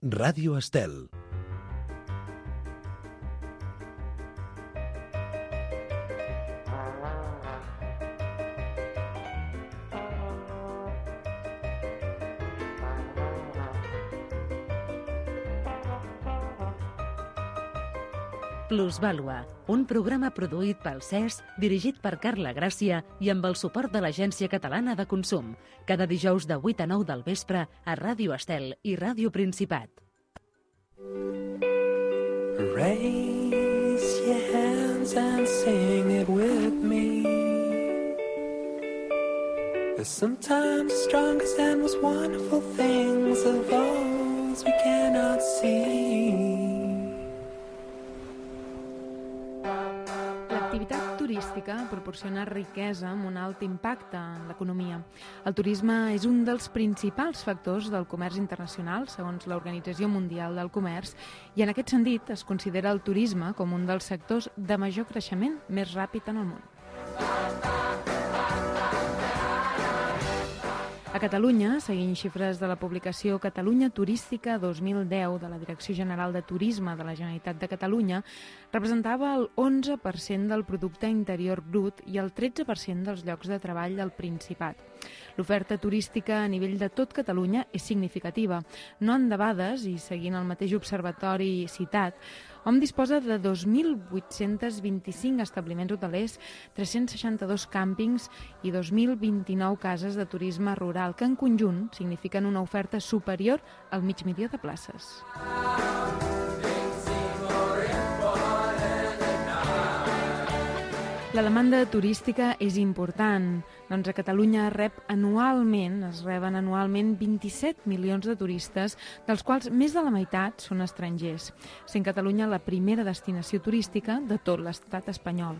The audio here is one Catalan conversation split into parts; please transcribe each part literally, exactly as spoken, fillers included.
Ràdio Estel. Plusvàlua, un programa produït pel C E S, dirigit per Carla Gràcia i amb el suport de l'Agència Catalana de Consum, cada dijous de vuit a nou del vespre a Ràdio Estel i Ràdio Principat. Raise your hands and sing it with me. There's sometimes the strongest and most wonderful things of those we cannot see. L'activitat turística proporciona riquesa amb un alt impacte en l'economia. El turisme és un dels principals factors del comerç internacional, segons l'Organització Mundial del Comerç, i en aquest sentit es considera el turisme com un dels sectors de major creixement més ràpid en el món. A Catalunya, seguint xifres de la publicació Catalunya Turística dos mil deu de la Direcció General de Turisme de la Generalitat de Catalunya, representava el onze per cent del producte interior brut i el tretze per cent dels llocs de treball del Principat. L'oferta turística a nivell de tot Catalunya és significativa. No en debades, i seguint el mateix observatori citat, hom disposa de dos mil vuit-cents vint-i-cinc establiments hotelers, tres-cents seixanta-dos càmpings i dos mil vint-i-nou cases de turisme rural, que en conjunt signifiquen una oferta superior al mig milió de places. La demanda turística és important, doncs a Catalunya rep anualment, es reben anualment vint-i-set milions de turistes, dels quals més de la meitat són estrangers, sent Catalunya la primera destinació turística de tot l'estat espanyol.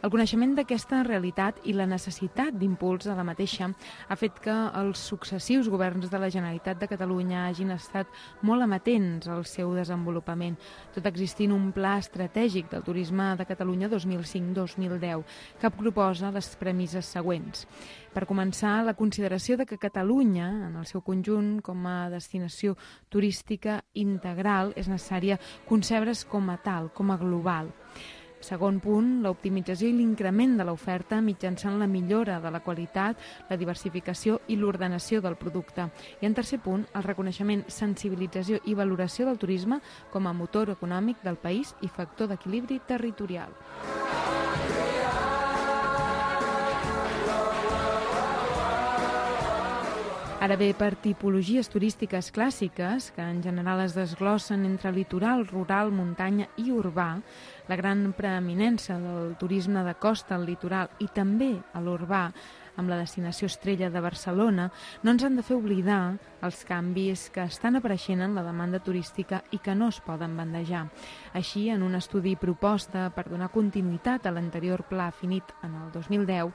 El coneixement d'aquesta realitat i la necessitat d'impuls de la mateixa ha fet que els successius governs de la Generalitat de Catalunya hagin estat molt amatents al seu desenvolupament, tot existint un pla estratègic del turisme de Catalunya dos mil cinc dos mil deu, que proposa les premisses següents. Per començar, la consideració de que Catalunya, en el seu conjunt, com a destinació turística integral, és necessària concebre's com a tal, com a global. Segon punt, l'optimització i l'increment de l'oferta mitjançant la millora de la qualitat, la diversificació i l'ordenació del producte. I en tercer punt, el reconeixement, sensibilització i valoració del turisme com a motor econòmic del país i factor d'equilibri territorial. Ara bé, per tipologies turístiques clàssiques, que en general es desglossen entre litoral, rural, muntanya i urbà, la gran preeminència del turisme de costa al litoral i també a l'urbà, amb la destinació estrella de Barcelona, no ens han de fer oblidar els canvis que estan apareixent en la demanda turística i que no es poden bandejar. Així, en un estudi proposta per donar continuïtat a l'anterior pla finit en el dos mil deu,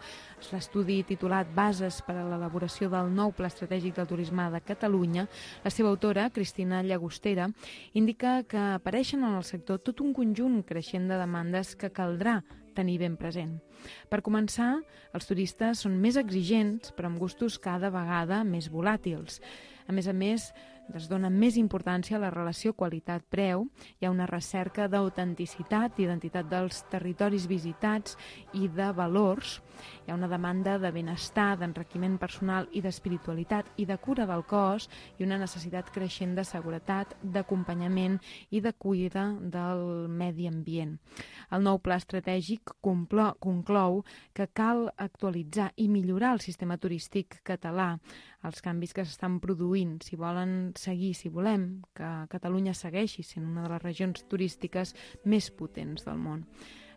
l'estudi titulat Bases per a l'elaboració del nou Pla Estratègic del Turisme de Catalunya, la seva autora, Cristina Llagostera, indica que apareixen en el sector tot un conjunt creixent de demandes que caldrà tenir ben present. Per començar, els turistes són més exigents, però amb gustos cada vegada més volàtils. A més a més, es dona més importància a la relació qualitat-preu, hi ha una recerca d'autenticitat, d'identitat dels territoris visitats i de valors, hi ha una demanda de benestar, d'enriquiment personal i d'espiritualitat i de cura del cos i una necessitat creixent de seguretat, d'acompanyament i de cuida del medi ambient. El nou pla estratègic conclou que cal actualitzar i millorar el sistema turístic català, els canvis que s'estan produint, si volen seguir, si volem que Catalunya segueixi sent una de les regions turístiques més potents del món.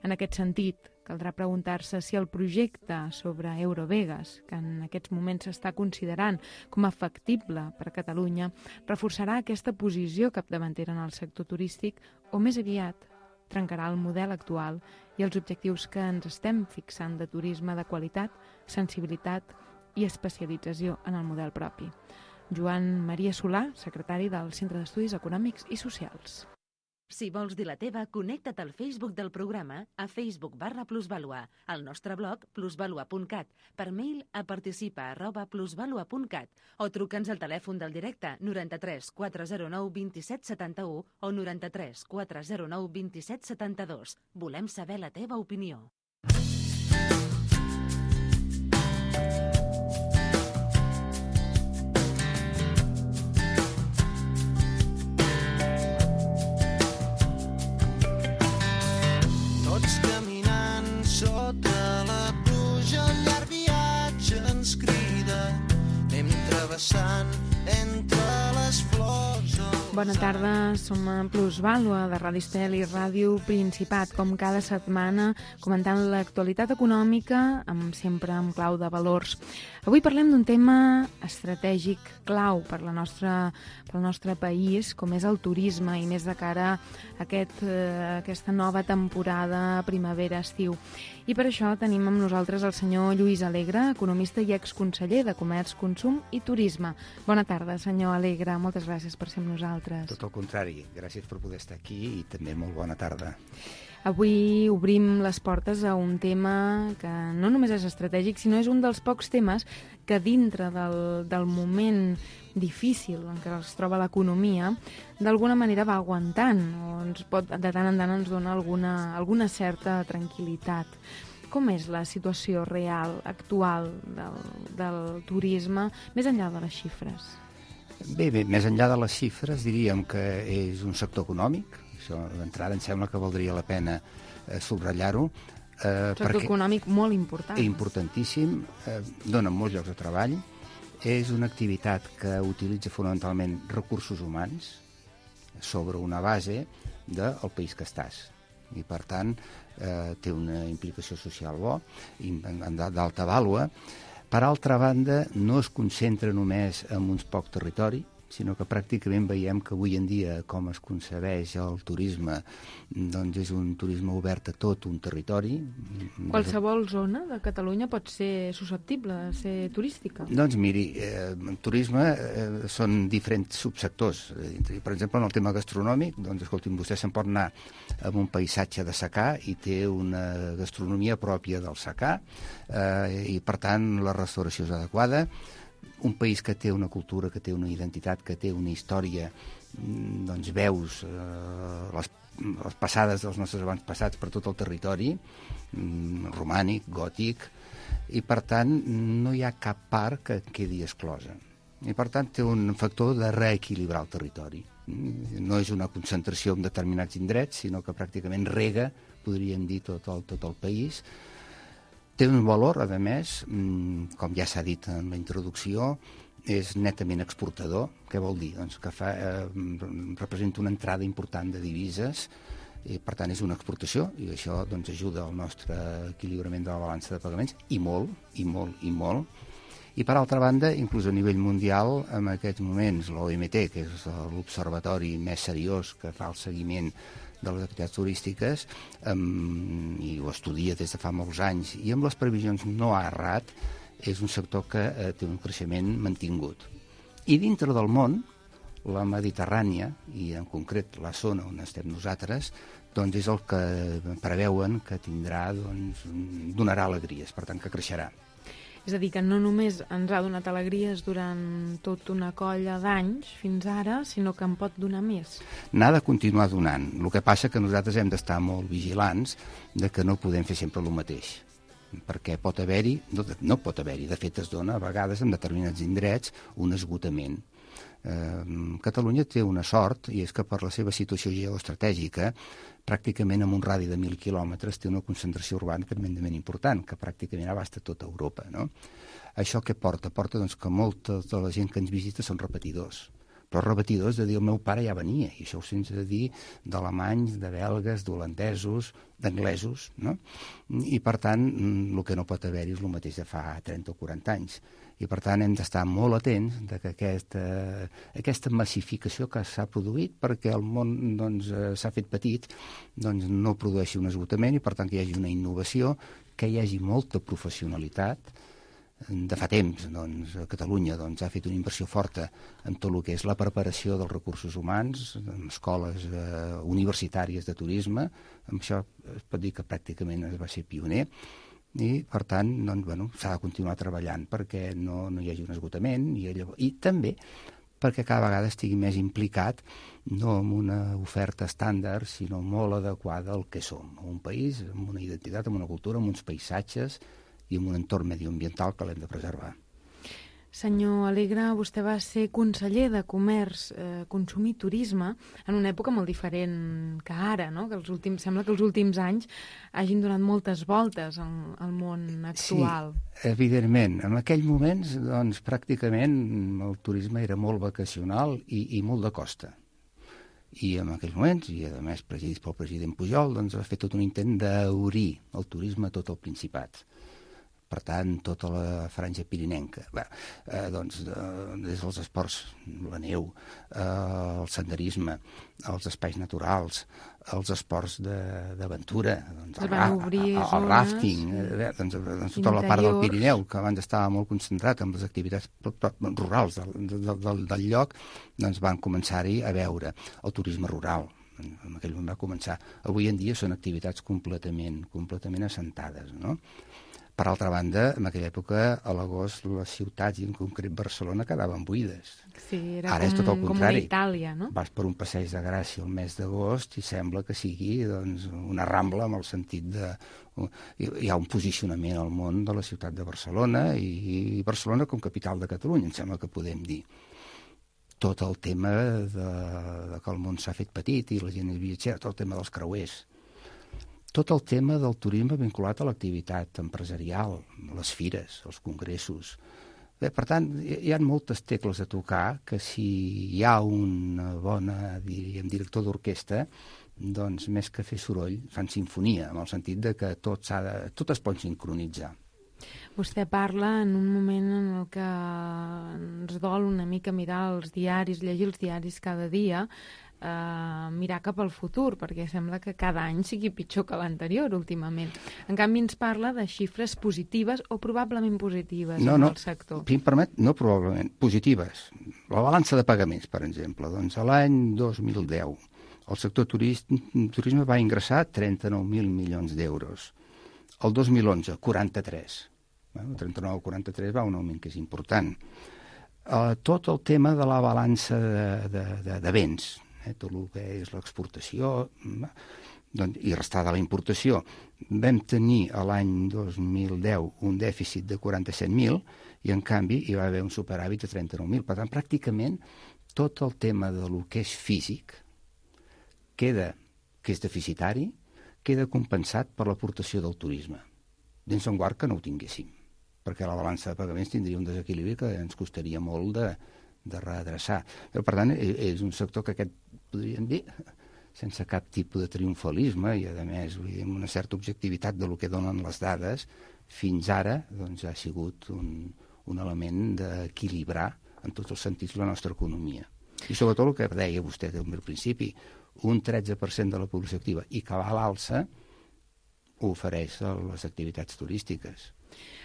En aquest sentit, caldrà preguntar-se si el projecte sobre Eurovegas, que en aquests moments s'està considerant com a factible per a Catalunya, reforçarà aquesta posició capdavantera en el sector turístic o més aviat trencarà el model actual i els objectius que ens estem fixant de turisme de qualitat, sensibilitat i especialització en el model propi. Joan Maria Solà, secretari del Centre d'Estudis Econòmics i Socials. Si vols dir la teva, connecta't al Facebook del programa a Facebook barra Plusvalua, al nostre blog plusvalua punt cat, per mail a participa arroba plusvalua punt cat o truca'ns al telèfon del directe noranta-tres quatre zero nou vint-i-set setanta-u o noranta-tres quatre zero nou vint-i-set setanta-dos. Volem saber la teva opinió. Bona tarda, som a Plusvàlua de Ràdio Estel i Ràdio Principat, com cada setmana, comentant l'actualitat econòmica, amb, sempre amb clau de valors. Avui parlem d'un tema estratègic clau per, la nostra, per al nostre país, com és el turisme, i més de cara a aquest, eh, aquesta nova temporada primavera-estiu. I per això tenim amb nosaltres el senyor Lluís Alegre, economista i exconseller de Comerç, Consum i Turisme. Bona tarda, senyor Alegre. Moltes gràcies per ser amb nosaltres. Tot el contrari. Gràcies per poder estar aquí i també molt bona tarda. Avui obrim les portes a un tema que no només és estratègic, sinó és un dels pocs temes que dintre del, del moment difícil en què es troba l'economia, d'alguna manera va aguantant, o ens pot, de tant en tant ens dona alguna, alguna certa tranquil·litat. Com és la situació real, actual del, del turisme, més enllà de les xifres? Bé, bé, més enllà de les xifres diríem que és un sector econòmic. Això d'entrada em sembla que valdria la pena eh, subratllar-ho. Eh, sector econòmic molt important. Importantíssim, eh, dona molts llocs de treball, és una activitat que utilitza fonamentalment recursos humans sobre una base del país que estàs. I, per tant, eh, té una implicació social bo, d'alta vàlua. Per altra banda, no es concentra només en uns pocs territoris, sinó que pràcticament veiem que avui en dia, com es concebeix el turisme, doncs és un turisme obert a tot un territori. Qualsevol zona de Catalunya pot ser susceptible de ser turística? Doncs miri, eh, turisme eh, són diferents subsectors. Per exemple, en el tema gastronòmic, doncs escolti'm, vostè se'n pot anar amb un paisatge de secà i té una gastronomia pròpia del secà eh, i, per tant, la restauració és adequada. Un país que té una cultura, que té una identitat, que té una història, doncs veus eh, les, les passades dels nostres abans passats per tot el territori, romànic, gòtic, i per tant no hi ha cap part que quedi exclosa. I per tant té un factor de reequilibrar el territori. No és una concentració en determinats indrets, sinó que pràcticament rega, podríem dir, tot el, tot el país. Té un valor, a més, com ja s'ha dit en la introducció, és netament exportador. Què vol dir? Doncs que fa, eh, representa una entrada important de divises, i per tant és una exportació, i això doncs, ajuda al nostre equilibrament de la balança de pagaments, i molt, i molt, i molt. I per altra banda, inclús a nivell mundial, en aquests moments l'O M T, que és l'observatori més seriós que fa el seguiment de les activitats turístiques, um, i ho estudia des de fa molts anys, i amb les previsions no ha errat, és un sector que uh, té un creixement mantingut. I dintre del món, la Mediterrània, i en concret la zona on estem nosaltres, doncs és el que preveuen que tindrà, doncs, donarà alegries, per tant que creixerà. És a dir, que no només ens ha donat alegries durant tota una colla d'anys fins ara, sinó que en pot donar més. N'ha de continuar donant. El que passa que nosaltres hem d'estar molt vigilants de que no podem fer sempre el mateix. Perquè pot haver-hi, no, no pot haver-hi, de fet es dona a vegades en determinats indrets un esgotament. Eh, Catalunya té una sort, i és que per la seva situació geoestratègica, pràcticament en un radi de mil quilòmetres té una concentració urbana tremendament important, que pràcticament abasta tota Europa. No? Això què porta? Porta doncs, que molta de la gent que ens visita són repetidors. Però repetidors de dir el meu pare ja venia, i això ho sents de dir d'alemanys, de belgues, d'holandesos, d'anglesos, no? I per tant, el que no pot haver-hi és el mateix de fa trenta o quaranta anys. I per tant hem d'estar molt atents de que aquesta, aquesta massificació que s'ha produït, perquè el món doncs, s'ha fet petit, doncs, no produeixi un esgotament, i per tant que hi hagi una innovació, que hi hagi molta professionalitat, de fa temps, doncs, a Catalunya doncs, ha fet una inversió forta en tot el que és la preparació dels recursos humans, en escoles eh, universitàries de turisme. Amb això es pot dir que pràcticament es va ser pioner, i, per tant, doncs, bueno, s'ha de continuar treballant perquè no, no hi hagi un esgotament, i, llavors, i també perquè cada vegada estigui més implicat no amb una oferta estàndard, sinó molt adequada al que som, un país amb una identitat, amb una cultura, amb uns paisatges i amb un entorn medioambiental que l'hem de preservar. Senyor Alegre, vostè va ser conseller de Comerç, eh, Consum i Turisme en una època molt diferent que ara, no? Que els últims, sembla que els últims anys hagin donat moltes voltes al, al món actual. Sí, evidentment. En aquells moments, doncs, pràcticament el turisme era molt vacacional i, i molt de costa. I en aquells moments, i a més presidits pel president Pujol, doncs va fer tot un intent d'obrir el turisme a tot el Principat. Per tant, tota la franja pirinenca. Bé, eh, doncs, eh, des dels esports, la neu, eh, el senderisme, els espais naturals, els esports d'aventura, doncs, el, ra el, el rafting, eh, doncs, doncs, tota la part del Pirineu, que abans estava molt concentrat en les activitats rurals del, del, del, del lloc, doncs van començar-hi a veure el turisme rural. En aquell moment va començar. Avui en dia són activitats completament, completament assentades, no? Per altra banda, en aquella època, a l'agost, les ciutats, i en concret Barcelona, quedaven buides. Sí, era Ara com, és tot el contrari. Com Itàlia, no? Vas per un passeig de Gràcia el mes d'agost i sembla que sigui doncs, una rambla amb el sentit de... Hi ha un posicionament al món de la ciutat de Barcelona i Barcelona com capital de Catalunya, em sembla que podem dir. Tot el tema de, de que el món s'ha fet petit i la gent és viatgera, tot el tema dels creuers. Tot el tema del turisme vinculat a l'activitat empresarial, les fires, els congressos. Bé, per tant, hi ha moltes tecles a tocar que si hi ha una bona, diríem, director d'orquestra, doncs més que fer soroll, fan sinfonia, en el sentit de que tot, s'ha de, tot es pot sincronitzar. Vostè parla en un moment en el que ens dol una mica mirar els diaris, llegir els diaris cada dia, Uh, mirar cap al futur, perquè sembla que cada any sigui pitjor que l'anterior últimament. En canvi ens parla de xifres positives o probablement positives no, en no, el sector. Si em permet, no probablement, positives. La balança de pagaments, per exemple, doncs a l'any dos mil deu el sector turisme, turisme va ingressar trenta-nou mil milions d'euros. El dos mil onze, quaranta-tres. Bueno, trenta-nou a quaranta-tres va un augment que és important. Uh, tot el tema de la balança de, de, de, de béns, eh, tot el que és l'exportació doncs, i restar de la importació. Vam tenir a l'any dos mil deu un dèficit de quaranta-set mil i, en canvi, hi va haver un superàvit de trenta-nou mil. Per tant, pràcticament tot el tema de lo que és físic queda, que és deficitari, queda compensat per l'aportació del turisme. Dins en guard que no ho tinguéssim, perquè la balança de pagaments tindria un desequilibri que ens costaria molt de, de redreçar. Però, per tant, és un sector que aquest, podríem dir, sense cap tipus de triomfalisme i, a més, amb una certa objectivitat de lo que donen les dades, fins ara doncs, ha sigut un, un element d'equilibrar en tots els sentits la nostra economia. I sobretot el que deia vostè al principi, un tretze per cent de la població activa i que va a l'alça ho ofereix a les activitats turístiques.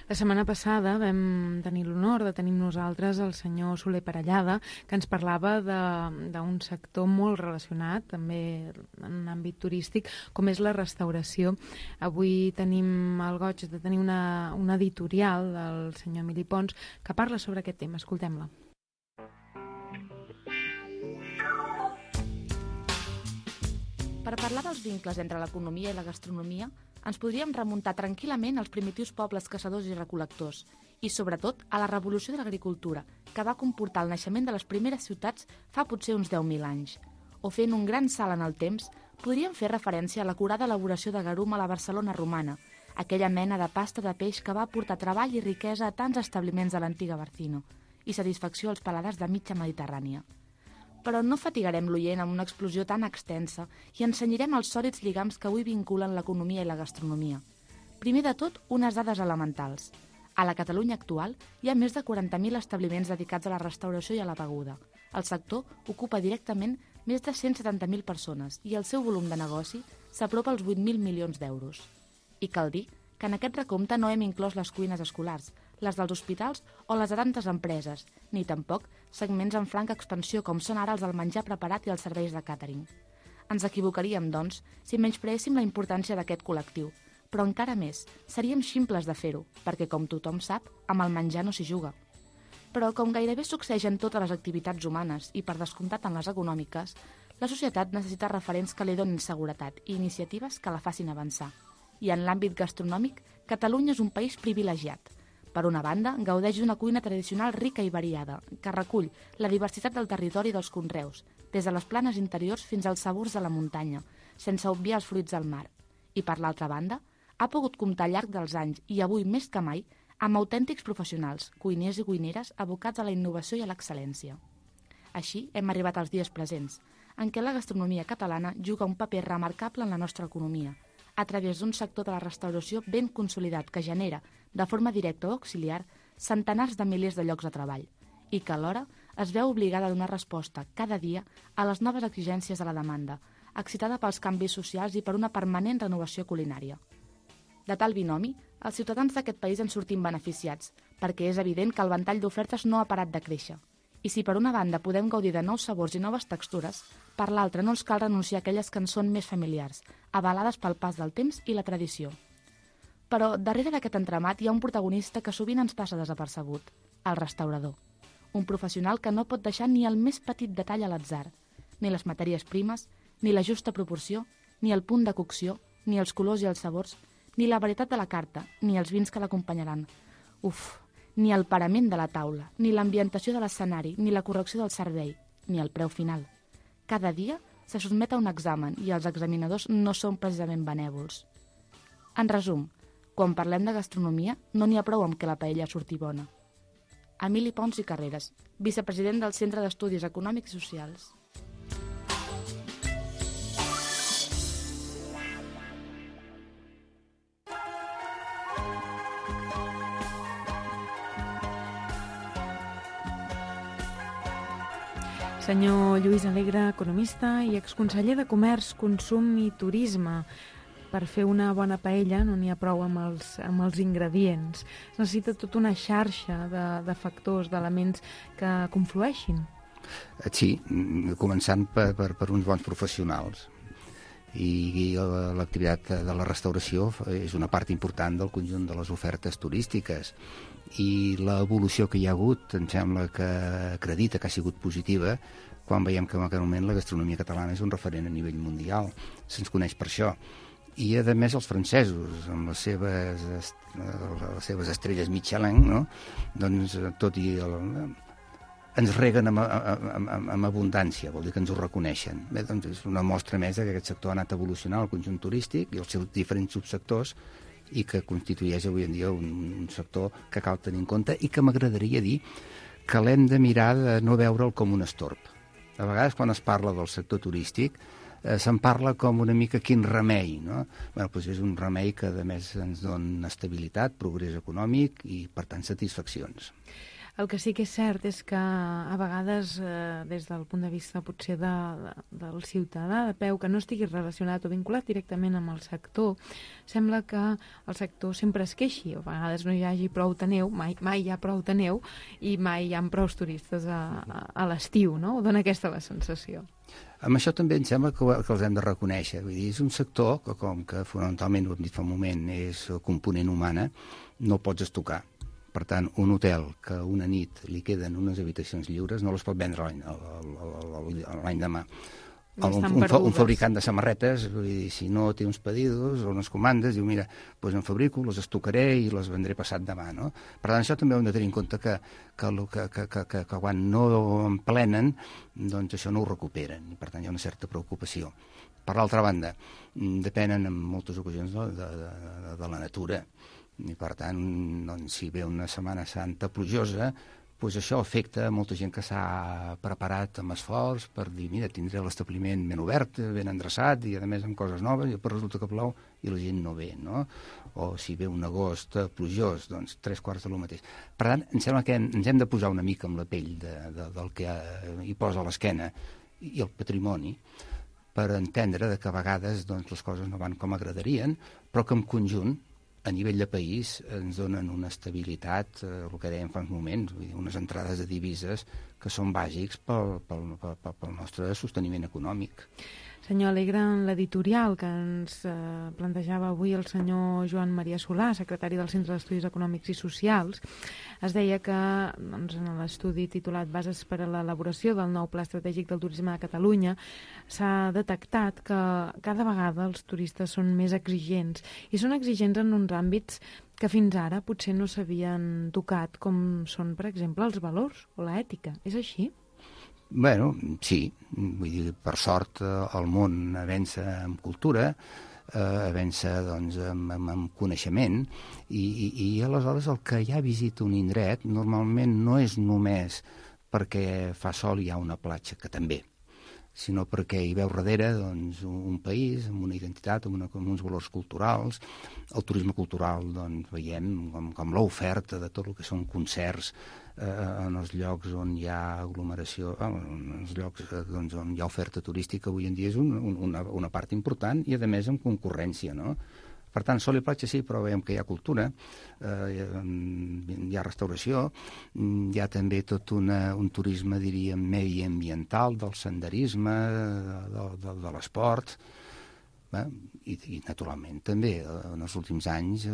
La setmana passada vam tenir l'honor de tenir nosaltres el senyor Soler Parellada, que ens parlava d'un sector molt relacionat, també en un àmbit turístic, com és la restauració. Avui tenim el goig de tenir una, una editorial del senyor Emili Pons que parla sobre aquest tema. Escoltem-la. Per parlar dels vincles entre l'economia i la gastronomia, ens podríem remuntar tranquil·lament als primitius pobles caçadors i recol·lectors i, sobretot, a la revolució de l'agricultura, que va comportar el naixement de les primeres ciutats fa potser uns deu mil anys. O fent un gran salt en el temps, podríem fer referència a l'acurada elaboració de garum a la Barcelona romana, aquella mena de pasta de peix que va portar treball i riquesa a tants establiments de l'antiga Barcino i satisfacció als paladars de mitja Mediterrània. Però no fatigarem l'oient amb una explosió tan extensa i ensenyarem els sòlids lligams que avui vinculen l'economia i la gastronomia. Primer de tot, unes dades elementals. A la Catalunya actual hi ha més de quaranta mil establiments dedicats a la restauració i a la beguda. El sector ocupa directament més de cent setanta mil persones i el seu volum de negoci s'apropa als vuit mil milions d'euros. I cal dir que en aquest recompte no hem inclòs les cuines escolars, les dels hospitals o les de tantes empreses, ni tampoc segments en franca expansió com són ara els del menjar preparat i els serveis de càtering. Ens equivocaríem, doncs, si menyspreéssim la importància d'aquest col·lectiu, però encara més, seríem ximples de fer-ho, perquè, com tothom sap, amb el menjar no s'hi juga. Però, com gairebé succeeix en totes les activitats humanes i, per descomptat, en les econòmiques, la societat necessita referents que li donin seguretat i iniciatives que la facin avançar. I en l'àmbit gastronòmic, Catalunya és un país privilegiat. Per una banda, gaudeix d'una cuina tradicional rica i variada, que recull la diversitat del territori i dels conreus, des de les planes interiors fins als sabors de la muntanya, sense obviar els fruits del mar. I per l'altra banda, ha pogut comptar al llarg dels anys, i avui més que mai, amb autèntics professionals, cuiners i cuineres abocats a la innovació i a l'excel·lència. Així hem arribat als dies presents, en què la gastronomia catalana juga un paper remarcable en la nostra economia, a través d'un sector de la restauració ben consolidat que genera, de forma directa o auxiliar, centenars de milers de llocs de treball, i que alhora es veu obligada a donar resposta cada dia a les noves exigències de la demanda, excitada pels canvis socials i per una permanent renovació culinària. De tal binomi, els ciutadans d'aquest país en sortim beneficiats, perquè és evident que el ventall d'ofertes no ha parat de créixer. I si per una banda podem gaudir de nous sabors i noves textures, per l'altra no ens cal renunciar a aquelles que ens són més familiars, avalades pel pas del temps i la tradició. Però darrere d'aquest entramat hi ha un protagonista que sovint ens passa desapercebut, el restaurador. Un professional que no pot deixar ni el més petit detall a l'atzar, ni les matèries primes, ni la justa proporció, ni el punt de cocció, ni els colors i els sabors, ni la varietat de la carta, ni els vins que l'acompanyaran. Uf, ni el parament de la taula, ni l'ambientació de l'escenari, ni la correcció del servei, ni el preu final. Cada dia se sotmet a un examen i els examinadors no són precisament benèvols. En resum, quan parlem de gastronomia, no n'hi ha prou amb que la paella surti bona. Emili Pons i Carreras, vicepresident del Centre d'Estudis Econòmics i Socials. Senyor Lluís Alegre, economista i exconseller de Comerç, Consum i Turisme. Per fer una bona paella no n'hi ha prou amb els, amb els ingredients. Es necessita tota una xarxa de, de factors, d'elements que conflueixin. Sí, començant per, per, per uns bons professionals. I, i l'activitat de la restauració és una part important del conjunt de les ofertes turístiques. I l'evolució que hi ha hagut em sembla que acredita que ha sigut positiva quan veiem que en aquest moment la gastronomia catalana és un referent a nivell mundial. Se'ns coneix per això. I, a més, els francesos, amb les seves, les seves estrelles Michelin, no? Doncs, tot i el, ens reguen amb, amb, amb, amb abundància, vol dir que ens ho reconeixen. Bé, doncs és una mostra més que aquest sector ha anat evolucionant, el conjunt turístic i els seus diferents subsectors, i que constitueix avui en dia un, un sector que cal tenir en compte i que m'agradaria dir que l'hem de mirar de no veure'l com un estorb. A vegades, quan es parla del sector turístic, eh, se'n parla com una mica quin remei, no? Bé, doncs és un remei que, a més, ens dona estabilitat, progrés econòmic i, per tant, satisfaccions. El que sí que és cert és que a vegades, eh, des del punt de vista potser de, de, del ciutadà de peu, que no estigui relacionat o vinculat directament amb el sector, sembla que el sector sempre es queixi. A vegades no hi hagi prou de neu, mai, mai hi ha prou de neu i mai hi ha prou turistes a, a, a l'estiu, no? Dona aquesta la sensació. Amb això també em sembla que, que els hem de reconèixer. Vull dir, és un sector que, com que fonamentalment, ho hem dit fa un moment, és component humana, no el pots estocar. Per tant, un hotel que una nit li queden unes habitacions lliures no les pot vendre l'any demà. Un, un, un fabricant de samarretes, vull dir, si no té uns pedidos o unes comandes, diu, mira, doncs en fabrico, les estocaré i les vendré passat demà, no? Per tant, això també ho hem de tenir en compte que, que, que, que, que, que, que quan no en plenen, doncs això no ho recuperen, i per tant hi ha una certa preocupació. Per l'altra banda, depenen en moltes ocasions de, de, de, de la natura, i per tant, doncs, si ve una Setmana Santa plujosa, doncs això afecta a molta gent que s'ha preparat amb esforç per dir, mira, tindré l'establiment ben obert, ben endreçat i a més amb coses noves, i després resulta que plou i la gent no ve, no? O si ve un agost plujós, doncs tres quarts de lo mateix. Per tant, em sembla que ens hem de posar una mica amb la pell de, de, del que hi posa a l'esquena i el patrimoni per entendre que a vegades doncs, les coses no van com agradarien, però que en conjunt a nivell de país ens donen una estabilitat, eh, el que dèiem fa uns moments, vull dir, unes entrades de divises que són bàsics pel, pel, pel, pel nostre sosteniment econòmic. Senyor Alegre, en l'editorial que ens eh, plantejava avui el senyor Joan Maria Solà, secretari del Centre d'Estudis Econòmics i Socials, es deia que doncs, en l'estudi titulat Bases per a l'elaboració del nou Pla Estratègic del Turisme de Catalunya s'ha detectat que cada vegada els turistes són més exigents i són exigents en uns àmbits que fins ara potser no s'havien tocat, com són, per exemple, els valors o l'ètica. És així? Bueno, sí, vull dir, per sort el món avança en cultura, eh, avança doncs, en, en, en coneixement, i, i, i aleshores el que ja visita un indret normalment no és només perquè fa sol i hi ha una platja, que també, sinó perquè hi veu darrere doncs, un país amb una identitat, amb, una, amb uns valors culturals. El turisme cultural doncs, veiem com, com l'oferta de tot el que són concerts eh, en els llocs on hi ha aglomeració, eh, en els llocs eh, doncs, on hi ha oferta turística avui en dia és un, un, una, una part important i a més amb concurrència, no? Per tant, sol i platja sí, però veiem que hi ha cultura, eh, hi ha restauració, hi ha també tot una, un turisme, diríem, mediambiental, del senderisme, de, de, de l'esport, eh? I, i naturalment també en els últims anys eh,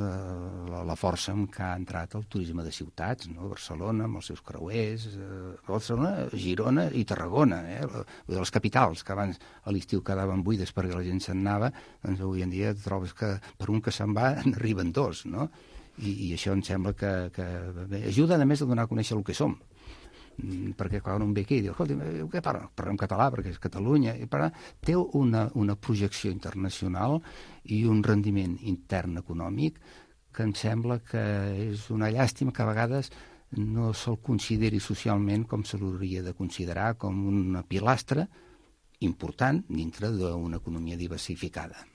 la, la força amb què ha entrat el turisme de ciutats, no? Barcelona amb els seus creuers, eh, Barcelona, Girona i Tarragona, eh? Les capitals que abans a l'estiu quedaven buides perquè la gent se'n anava, doncs avui en dia trobes que per un que se'n va n'arriben dos, no? I, i això em sembla que, que bé, ajuda a més a donar a conèixer el que som, perquè quan un ve aquí i diu, escolta, què parla? Parlem català perquè és Catalunya, i parla, té una, una projecció internacional i un rendiment intern econòmic que em sembla que és una llàstima que a vegades no se'l consideri socialment com se l'hauria de considerar, com una pilastra important dintre d'una economia diversificada.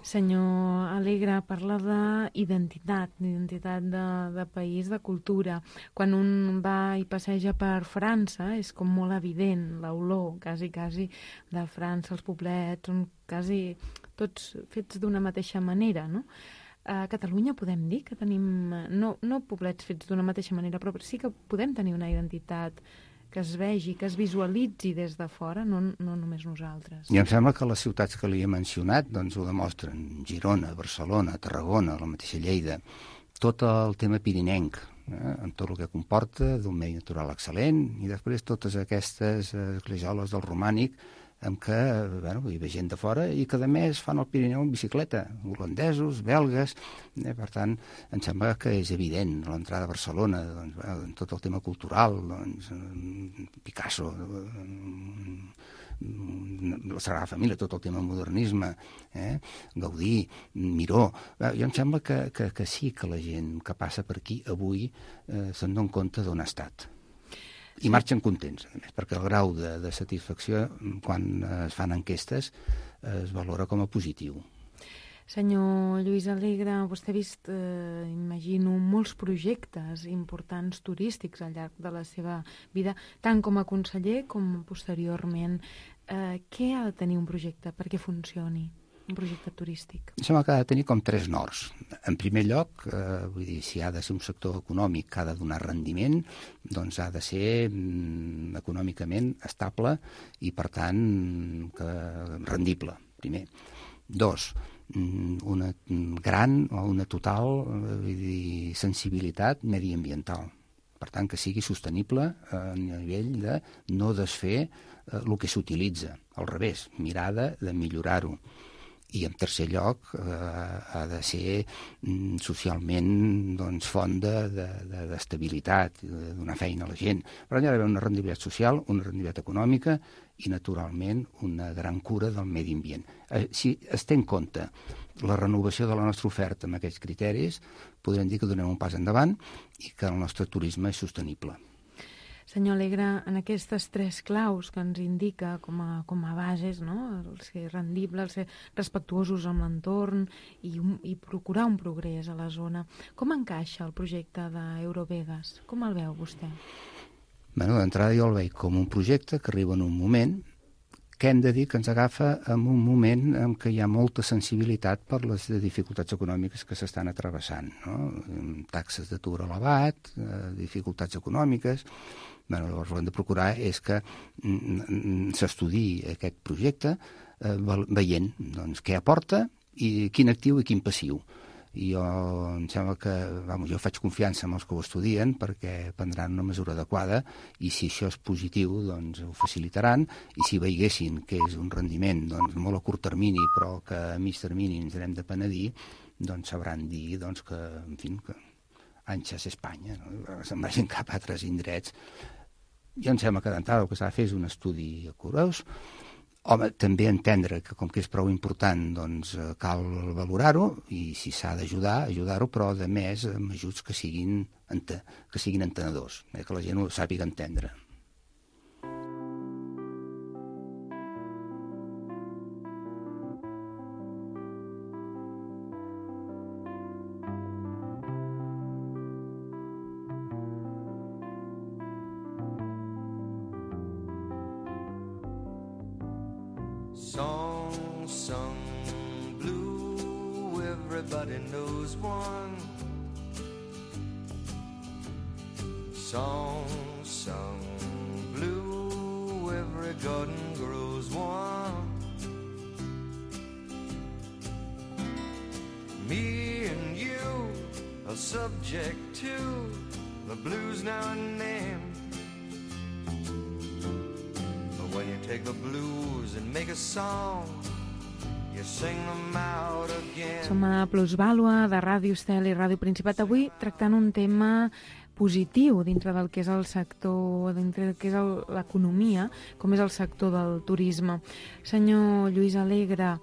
Senyor Alegre, parla d'identitat, d'identitat de, de país, de cultura. Quan un va i passeja per França és com molt evident l'olor, quasi, quasi, de França, els poblets, són quasi tots fets d'una mateixa manera, no? A Catalunya podem dir que tenim, no, no poblets fets d'una mateixa manera, però sí que podem tenir una identitat que es vegi, que es visualitzi des de fora, no, no només nosaltres. I em sembla que les ciutats que li he mencionat doncs ho demostren. Girona, Barcelona, Tarragona, la mateixa Lleida, tot el tema pirinenc, eh, amb tot el que comporta d'un medi natural excel·lent, i després totes aquestes esglesioles del romànic amb què bueno, hi ve gent de fora i que a més fan el Pirineu en bicicleta, holandesos, belgues, eh, per tant, em sembla que és evident l'entrada a Barcelona, doncs, bueno, tot el tema cultural, doncs, Picasso, la Sagrada Família, tot el tema modernisme, eh, Gaudí, Miró, eh, jo em sembla que, que, que sí que la gent que passa per aquí avui eh, se'n dona compte d'on ha estat. I marxen contents, a més, perquè el grau de, de satisfacció, quan es fan enquestes, es valora com a positiu. Senyor Lluís Alegre, vostè ha vist, eh, imagino, molts projectes importants turístics al llarg de la seva vida, tant com a conseller com posteriorment. Eh, què ha de tenir un projecte perquè funcioni? Un projecte turístic? Em sembla que ha de tenir com tres nords. En primer lloc, eh, vull dir, si ha de ser un sector econòmic que ha de donar rendiment, doncs ha de ser mm, econòmicament estable i, per tant, que, rendible, primer. Dos, una gran o una total vull dir, sensibilitat mediambiental. Per tant, que sigui sostenible a nivell de no desfer eh, el que s'utilitza. Al revés, mirada de millorar-ho. I, en tercer lloc, eh, ha de ser mm, socialment doncs, font d'estabilitat, de, de, de donar feina a la gent. Però hi ha d'haver una rendibilitat social, una rendibilitat econòmica i, naturalment, una gran cura del medi ambient. Eh, si es té en compte la renovació de la nostra oferta amb aquests criteris, podrem dir que donem un pas endavant i que el nostre turisme és sostenible. Senyor Alegre, en aquestes tres claus que ens indica com a, com a bases, no? El ser rendible, el ser respectuosos amb l'entorn i, i procurar un progrés a la zona, com encaixa el projecte d'Eurovegas? Com el veu vostè? Bueno, d'entrada jo el veig com un projecte que arriba en un moment que hem de dir que ens agafa en un moment en què hi ha molta sensibilitat per les dificultats econòmiques que s'estan atrevessant, no? Taxes d'atur elevat, dificultats econòmiques. Bé, llavors, el que hem de procurar és que s'estudiï aquest projecte veient doncs, què aporta i quin actiu i quin passiu. I jo, em sembla que, vamos, jo faig confiança en els que ho estudien perquè prendran una mesura adequada i si això és positiu, doncs ho facilitaran, i si veiessin que és un rendiment doncs, molt a curt termini però que a mig termini ens n'hem de penedir, doncs sabran dir doncs, que, en fi, que Anxes Espanya, no? Se'n vagin cap a altres indrets. Jo em sembla que d'entrada el que s'ha de fer és un estudi curós. Home, també entendre que com que és prou important doncs cal valorar-ho i si s'ha d'ajudar, ajudar-ho, però de més amb ajuts que siguin, que siguin entenedors, eh, que la gent ho sàpiga entendre. Song sung blue, everybody knows one. Song sung blue, every garden grows one. Me and you are subject to the blues now and then. When you take the blues and make a song, you sing them out again. Som a Plusvàlua, de Ràdio Estel i Ràdio Principat, avui tractant un tema positiu dintre del que és el sector, dintre del que és l'economia, com és el sector del turisme. Senyor Lluís Alegre,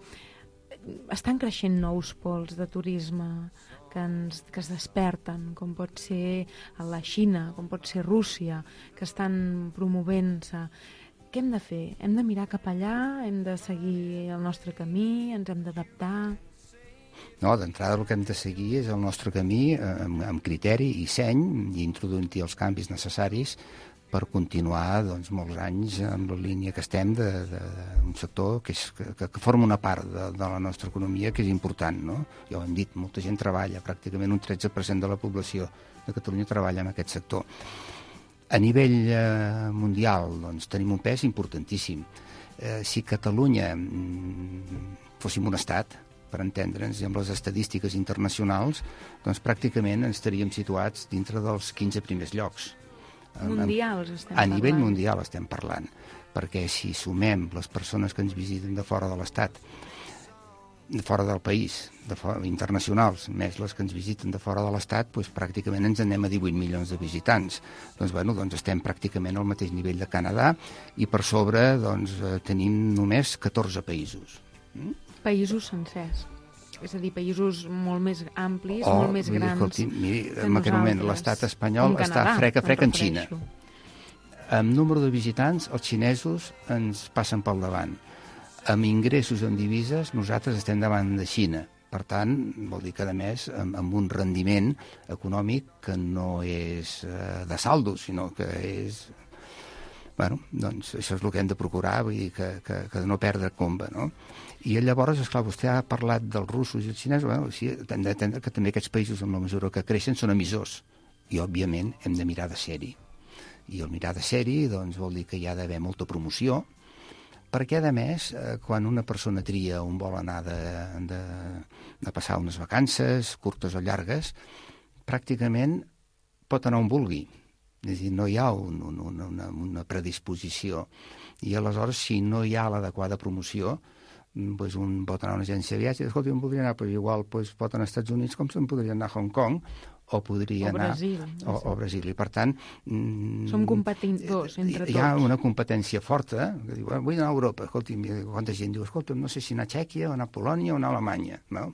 estan creixent nous pols de turisme que, ens, que es desperten, com pot ser a la Xina, com pot ser Rússia, que estan promovent-se. Què hem de fer? Hem de mirar cap allà? Hem de seguir el nostre camí? Ens hem d'adaptar? No, d'entrada el que hem de seguir és el nostre camí amb, amb criteri i seny i introduint-hi els canvis necessaris per continuar doncs, molts anys en la línia que estem d'un sector que, és, que, que forma una part de, de la nostra economia que és important, no? Ja ho hem dit, molta gent treballa, pràcticament un tretze per cent de la població de Catalunya treballa en aquest sector. A nivell eh, mundial doncs, tenim un pes importantíssim. Eh, si Catalunya mm, fóssim un estat, per entendre'ns, i amb les estadístiques internacionals, doncs pràcticament ens estaríem situats dintre dels quinze primers llocs. Mundials estem parlant. A nivell parlant. mundial estem parlant, perquè si sumem les persones que ens visiten de fora de l'estat, de fora del país, de fora, internacionals, més les que ens visiten de fora de l'Estat, doncs pràcticament ens anem a divuit milions de visitants. Doncs, bueno, doncs estem pràcticament al mateix nivell de Canadà i per sobre doncs, tenim només catorze països. Mm? Països sencers. És a dir, països molt més amplis, oh, molt més grans escolti, miri, en aquest moment l'estat espanyol està frec a frec en Xina. Amb número de visitants, els xinesos ens passen pel davant. Amb ingressos en divises, nosaltres estem davant de Xina. Per tant, vol dir que, a més, amb, amb un rendiment econòmic que no és eh, de saldo, sinó que és... Bueno, doncs això és el que hem de procurar, vull dir que, que, que no perdre comba, no? I llavors, esclar, vostè ha parlat dels russos i els xinesos, bueno, sí, hem d'entendre que també aquests països, en la mesura que creixen, són emissors. I, òbviament, hem de mirar de ser-hi. I el mirar de ser-hi, doncs, vol dir que hi ha d'haver molta promoció, perquè, a més, quan una persona tria on vol anar de, de, de passar unes vacances, curtes o llargues, pràcticament pot anar on vulgui. És a dir, no hi ha un, un, una, una predisposició. I aleshores, si no hi ha l'adequada promoció, doncs un pot anar a una agència de viatge i, escolta, on podria anar? Però igual doncs, pot anar als Estats Units com se'n podria anar a Hong Kong, o podria o anar Brasil, o, o Brasil. I per tant... Som competidors entre tots. Hi ha una competència forta, que diu, vull anar a Europa. Escolta, quanta gent diu, escolta, no sé si anar a Txèquia, o anar a Polònia, o anar a Alemanya. No?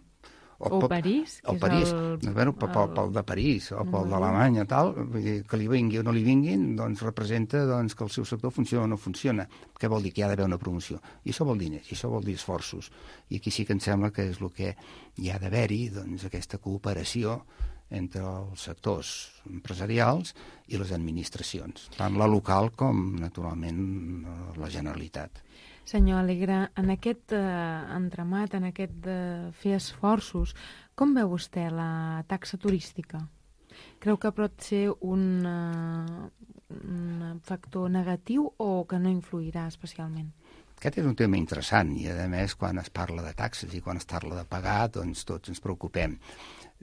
O, o París, o que París. és el... Doncs, bueno, pel, pel, pel de París o pel d'Alemanya, tal, vull dir, que li vingui o no li vinguin, doncs representa doncs, que el seu sector funciona o no funciona. Què vol dir? Que hi ha d'haver una promoció. I això vol diners, i això vol dir esforços. I aquí sí que em sembla que és el que hi ha d'haver-hi, doncs, aquesta cooperació entre els sectors empresarials i les administracions, tant la local com, naturalment, la Generalitat. Senyor Alegre, en aquest eh, entramat, en aquest de fer esforços, com veu vostè la taxa turística? Creu que pot ser un, uh, un factor negatiu o que no influirà especialment? Aquest és un tema interessant i, a més, quan es parla de taxes i quan es parla de pagar, doncs tots ens preocupem.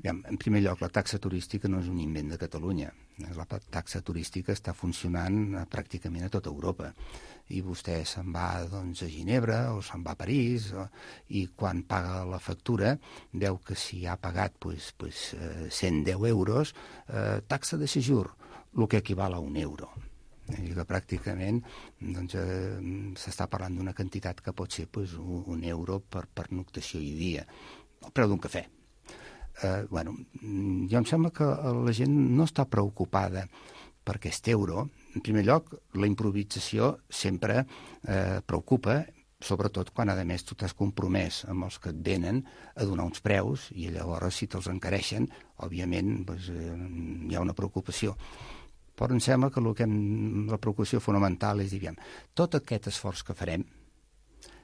En primer lloc, la taxa turística no és un invent de Catalunya. La taxa turística està funcionant pràcticament a tota Europa. I vostè se'n va doncs, a Ginebra o se'n va a París o, i quan paga la factura veu que si ha pagat pues, pues, cent deu euros, eh, taxa de séjour, el que equival a un euro. I que pràcticament doncs, eh, s'està parlant d'una quantitat que pot ser pues, un, un euro per, per noctació i dia, el preu d'un cafè. Eh, bueno, jo em sembla que la gent no està preocupada per aquest euro. En primer lloc, la improvisació sempre eh, preocupa, sobretot quan, a més, tu t'has compromès amb els que et venen a donar uns preus i llavors, si te'ls encareixen, òbviament doncs, eh, hi ha una preocupació. Però em sembla que, el que hem, la preocupació fonamental és, diguem, tot aquest esforç que farem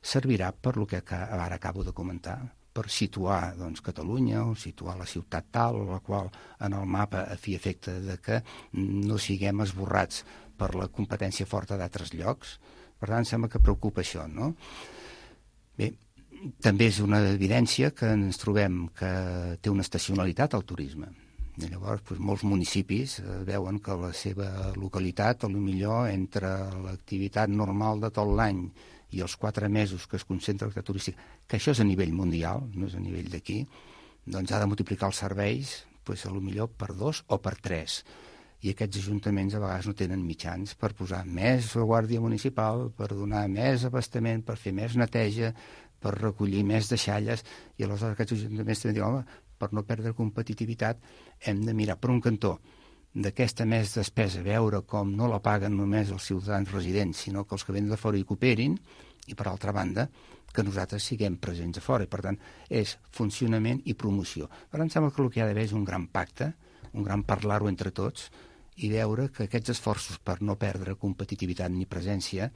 servirà per lo que ara acabo de comentar, per situar doncs, Catalunya o situar la ciutat tal, la qual en el mapa a fi efecte de que no siguem esborrats per la competència forta d'altres llocs. Per tant, sembla que preocupa això, no? Bé, també és una evidència que ens trobem que té una estacionalitat al turisme. I llavors, doncs, molts municipis eh, veuen que la seva localitat, potser entre l'activitat normal de tot l'any i els quatre mesos que es concentra l'activitat turística, que això és a nivell mundial, no és a nivell d'aquí, doncs ha de multiplicar els serveis doncs, potser per dos o per tres. I aquests ajuntaments a vegades no tenen mitjans per posar més guàrdia municipal, per donar més abastament, per fer més neteja, per recollir més deixalles, i aleshores aquests ajuntaments també diuen, home, per no perdre competitivitat, hem de mirar per un cantó d'aquesta més despesa, veure com no la paguen només els ciutadans residents, sinó que els que venen de fora hi cooperin, i per altra banda, que nosaltres siguem presents a fora. I per tant, és funcionament i promoció. Per tant, sembla que el que hi ha d'haver és un gran pacte, un gran parlar-ho entre tots, i veure que aquests esforços per no perdre competitivitat ni presència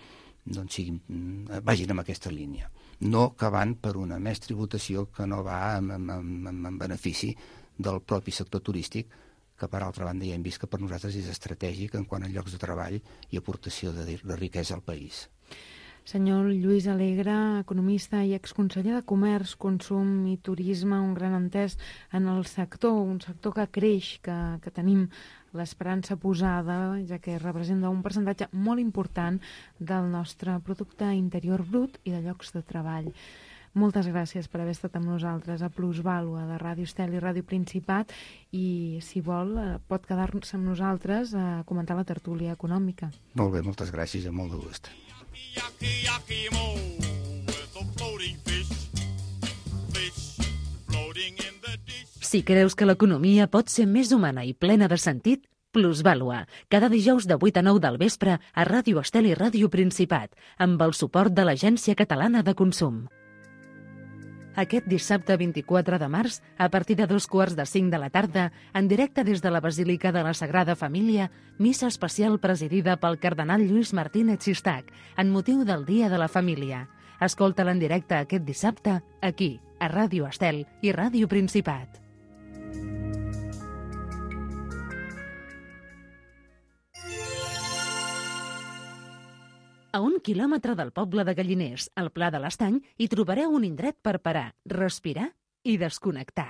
doncs siguin, vagin en aquesta línia. No que van per una més tributació que no va en, en, en, en benefici del propi sector turístic, que per altra banda ja hem vist que per nosaltres és estratègic en quant a llocs de treball i aportació de, de riquesa al país. Senyor Lluís Alegre, economista i exconseller de Comerç, Consum i Turisme, un gran entès en el sector, un sector que creix, que, que tenim l'esperança posada, ja que representa un percentatge molt important del nostre producte interior brut i de llocs de treball. Moltes gràcies per haver estat amb nosaltres a Plusvàlua de Ràdio Estel i Ràdio Principat i, si vol, pot quedar-se amb nosaltres a comentar la tertúlia econòmica. Molt bé, moltes gràcies i amb molt de gust. Si creus que l'economia pot ser més humana i plena de sentit, Plusvàlua, cada dijous de vuit a nou del vespre a Ràdio Estel i Ràdio Principat, amb el suport de l'Agència Catalana de Consum. Aquest dissabte vint-i-quatre de març, a partir de dos quarts de cinc de la tarda, en directe des de la Basílica de la Sagrada Família, missa especial presidida pel cardenal Lluís Martínez Sistac, en motiu del Dia de la Família. Escolta-la en directe aquest dissabte, aquí, a Ràdio Estel i Ràdio Principat. A un quilòmetre del poble de Galliners, al Pla de l'Estany, hi trobareu un indret per parar, respirar i desconnectar.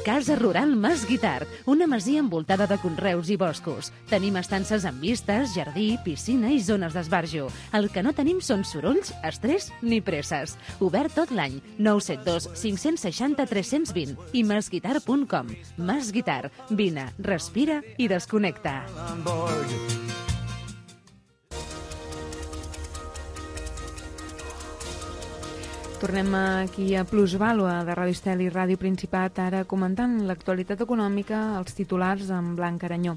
Casa Rural Mas Guitart, una masia envoltada de conreus i boscos. Tenim estances amb vistes, jardí, piscina i zones d'esbarjo. El que no tenim són sorolls, estrès ni presses. Obert tot l'any, nou set dos cinc sis zero tres dos zero i masguitart punt com. Mas Guitart, vine, respira i desconnecta. Tornem aquí a Plusvàlua de Ràdio Estel i Ràdio Principat, ara comentant l'actualitat econòmica, els titulars amb Blanc Aranyó.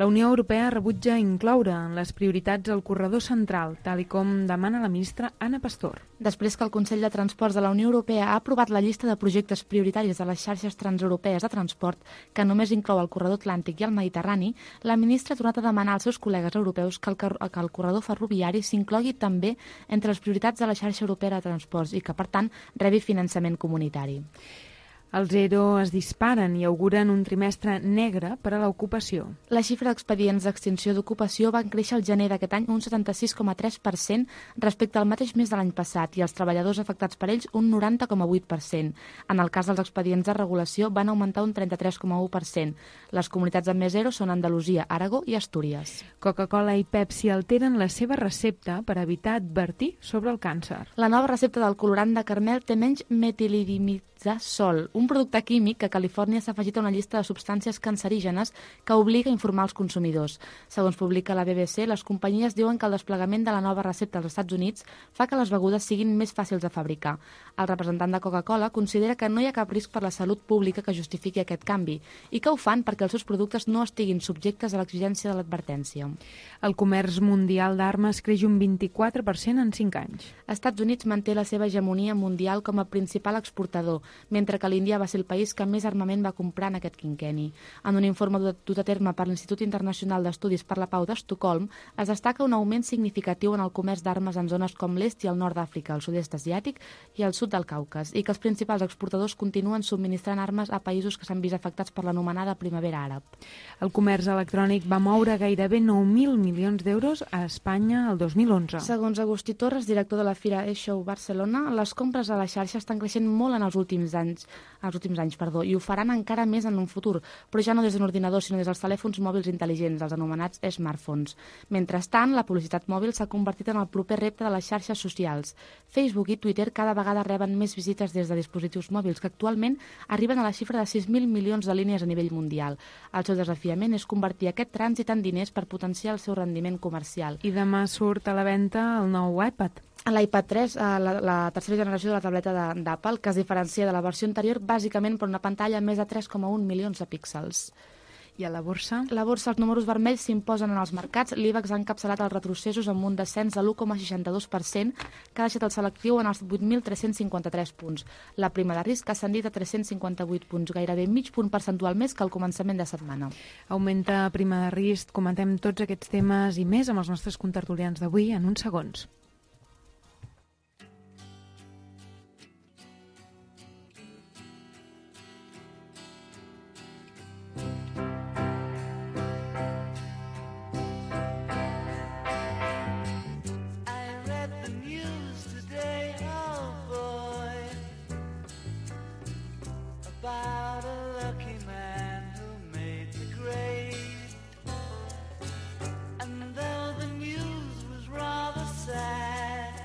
La Unió Europea rebutja incloure en les prioritats el corredor central, tal i com demana la ministra Ana Pastor. Després que el Consell de Transports de la Unió Europea ha aprovat la llista de projectes prioritaris de les xarxes transeuropees de transport, que només inclou el corredor atlàntic i el mediterrani, la ministra ha tornat a demanar als seus col·legues europeus que el, que el corredor ferroviari s'inclogui també entre les prioritats de la xarxa europea de transports i que, per tant, rebi finançament comunitari. Els ERO es disparen i auguren un trimestre negre per a l'ocupació. La xifra d'expedients d'extinció d'ocupació va créixer el gener d'aquest any un setanta-sis coma tres per cent respecte al mateix mes de l'any passat i els treballadors afectats per ells un noranta coma vuit per cent. En el cas dels expedients de regulació van augmentar un trenta-tres coma u per cent. Les comunitats amb més ERO són Andalusia, Aragó i Astúries. Coca-Cola i Pepsi alteren la seva recepta per evitar advertir sobre el càncer. La nova recepta del colorant de caramel té menys metilidimidazol, un producte químic que a Califòrnia s'ha afegit a una llista de substàncies cancerígenes que obliga a informar els consumidors. Segons publica la B B C, les companyies diuen que el desplegament de la nova recepta als Estats Units fa que les begudes siguin més fàcils de fabricar. El representant de Coca-Cola considera que no hi ha cap risc per la salut pública que justifiqui aquest canvi i que ho fan perquè els seus productes no estiguin subjectes a l'exigència de l'advertència. El comerç mundial d'armes creix un vint-i-quatre per cent en cinc anys. Estats Units manté la seva hegemonia mundial com a principal exportador, mentre que l'Índia va ser el país que més armament va comprar en aquest quinquenni. En un informe dut a terme per l'Institut Internacional d'Estudis per la Pau d'Estocolm, es destaca un augment significatiu en el comerç d'armes en zones com l'est i el nord d'Àfrica, el sud-est asiàtic i el sud del Caucas, i que els principals exportadors continuen subministrant armes a països que s'han vist afectats per l'anomenada primavera àrab. El comerç electrònic va moure gairebé nou mil milions d'euros a Espanya el dos mil onze. Segons Agustí Torres, director de la Fira E-Show Barcelona, les compres a la xarxa estan creixent molt en els últims anys, els últims anys, perdó, i ho faran encara més en un futur, però ja no des d'un ordinador, sinó des dels telèfons mòbils intel·ligents, els anomenats smartphones. Mentrestant, la publicitat mòbil s'ha convertit en el proper repte de les xarxes socials. Facebook i Twitter cada vegada reben més visites des de dispositius mòbils, que actualment arriben a la xifra de sis mil milions de línies a nivell mundial. El seu desafiament és convertir aquest trànsit en diners per potenciar el seu rendiment comercial. I demà surt a la venda el nou iPad. L'iPad tres, la, la tercera generació de la tableta d'Apple, que es diferencia de la versió anterior bàsicament per una pantalla amb més de tres coma un milions de píxels. I a la borsa? La borsa, els números vermells s'imposen en els mercats. L'IBEX ha encapçalat els retrocessos amb un descens de l'u coma seixanta-dos per cent, que ha deixat el selectiu en els vuit mil tres-cents cinquanta-tres punts. La prima de risc ha ascendit a tres-cents cinquanta-vuit punts, gairebé mig punt percentual més que al començament de setmana. Augmenta prima de risc. Comentem tots aquests temes i més amb els nostres contertulians d'avui en uns segons. About a lucky man who made the grade. And though the news was rather sad,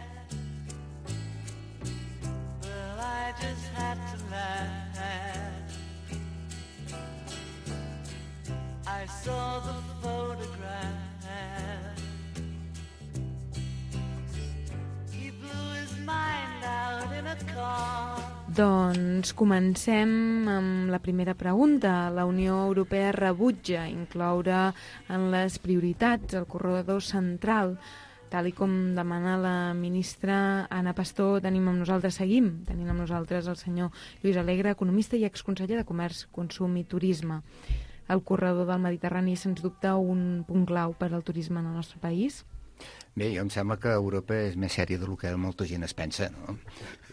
well, I just had to laugh. I saw the photograph. He blew his mind out in a car. Doncs comencem amb la primera pregunta. La Unió Europea rebutja incloure en les prioritats el corredor central, tal i com demana la ministra Ana Pastor. Tenim amb nosaltres, seguim, tenim amb nosaltres el senyor Lluís Alegre, economista i exconseller de Comerç, Consum i Turisme. El corredor del Mediterrani, sens dubte, un punt clau per al turisme en el nostre país? Bé, jo em sembla que Europa és més sèria del que molta gent es pensa, no?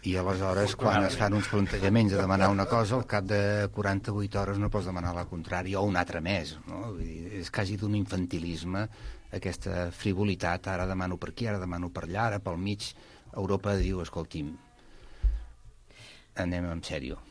I aleshores, quan es fan uns plantejaments de demanar una cosa, al cap de quaranta-vuit hores no pots demanar la contrària o una altra més, no? Vull dir, és quasi d'un infantilisme, aquesta frivolitat, ara demano per aquí, ara demano per allà, ara pel mig. Europa diu, escolti'm, anem en sèrio.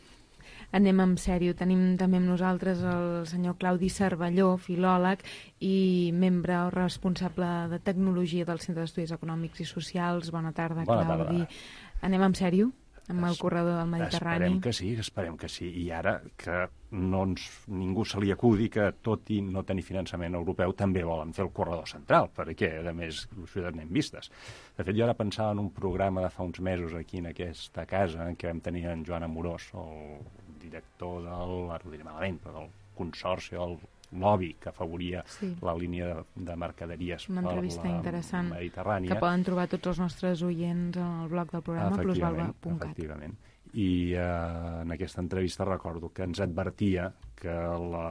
Anem en sèrio. Tenim també amb nosaltres el senyor Claudi Cervelló, filòleg i membre o responsable de tecnologia del Centre d'Estudis Econòmics i Socials. Bona tarda, Bona Claudi. tarda. Anem en sèrio amb el corredor del Mediterrani? Esperem que sí, esperem que sí. I ara que no ens, ningú se li acudi que, tot i no tenir finançament europeu, també volen fer el corredor central, perquè, a més, això ja n'hem vistes. De fet, jo ara pensava en un programa de fa uns mesos aquí en aquesta casa, en què vam tenir en Joan Amorós, el director del, ara ho diré malament, però del Consorci, el lobby que afavoria Sí. la línia de, de mercaderies Una per entrevista la interessant Mediterrània. que poden trobar tots els nostres oients en el blog del programa plusvalua punt cat. Efectivament. I eh, en aquesta entrevista recordo que ens advertia que la,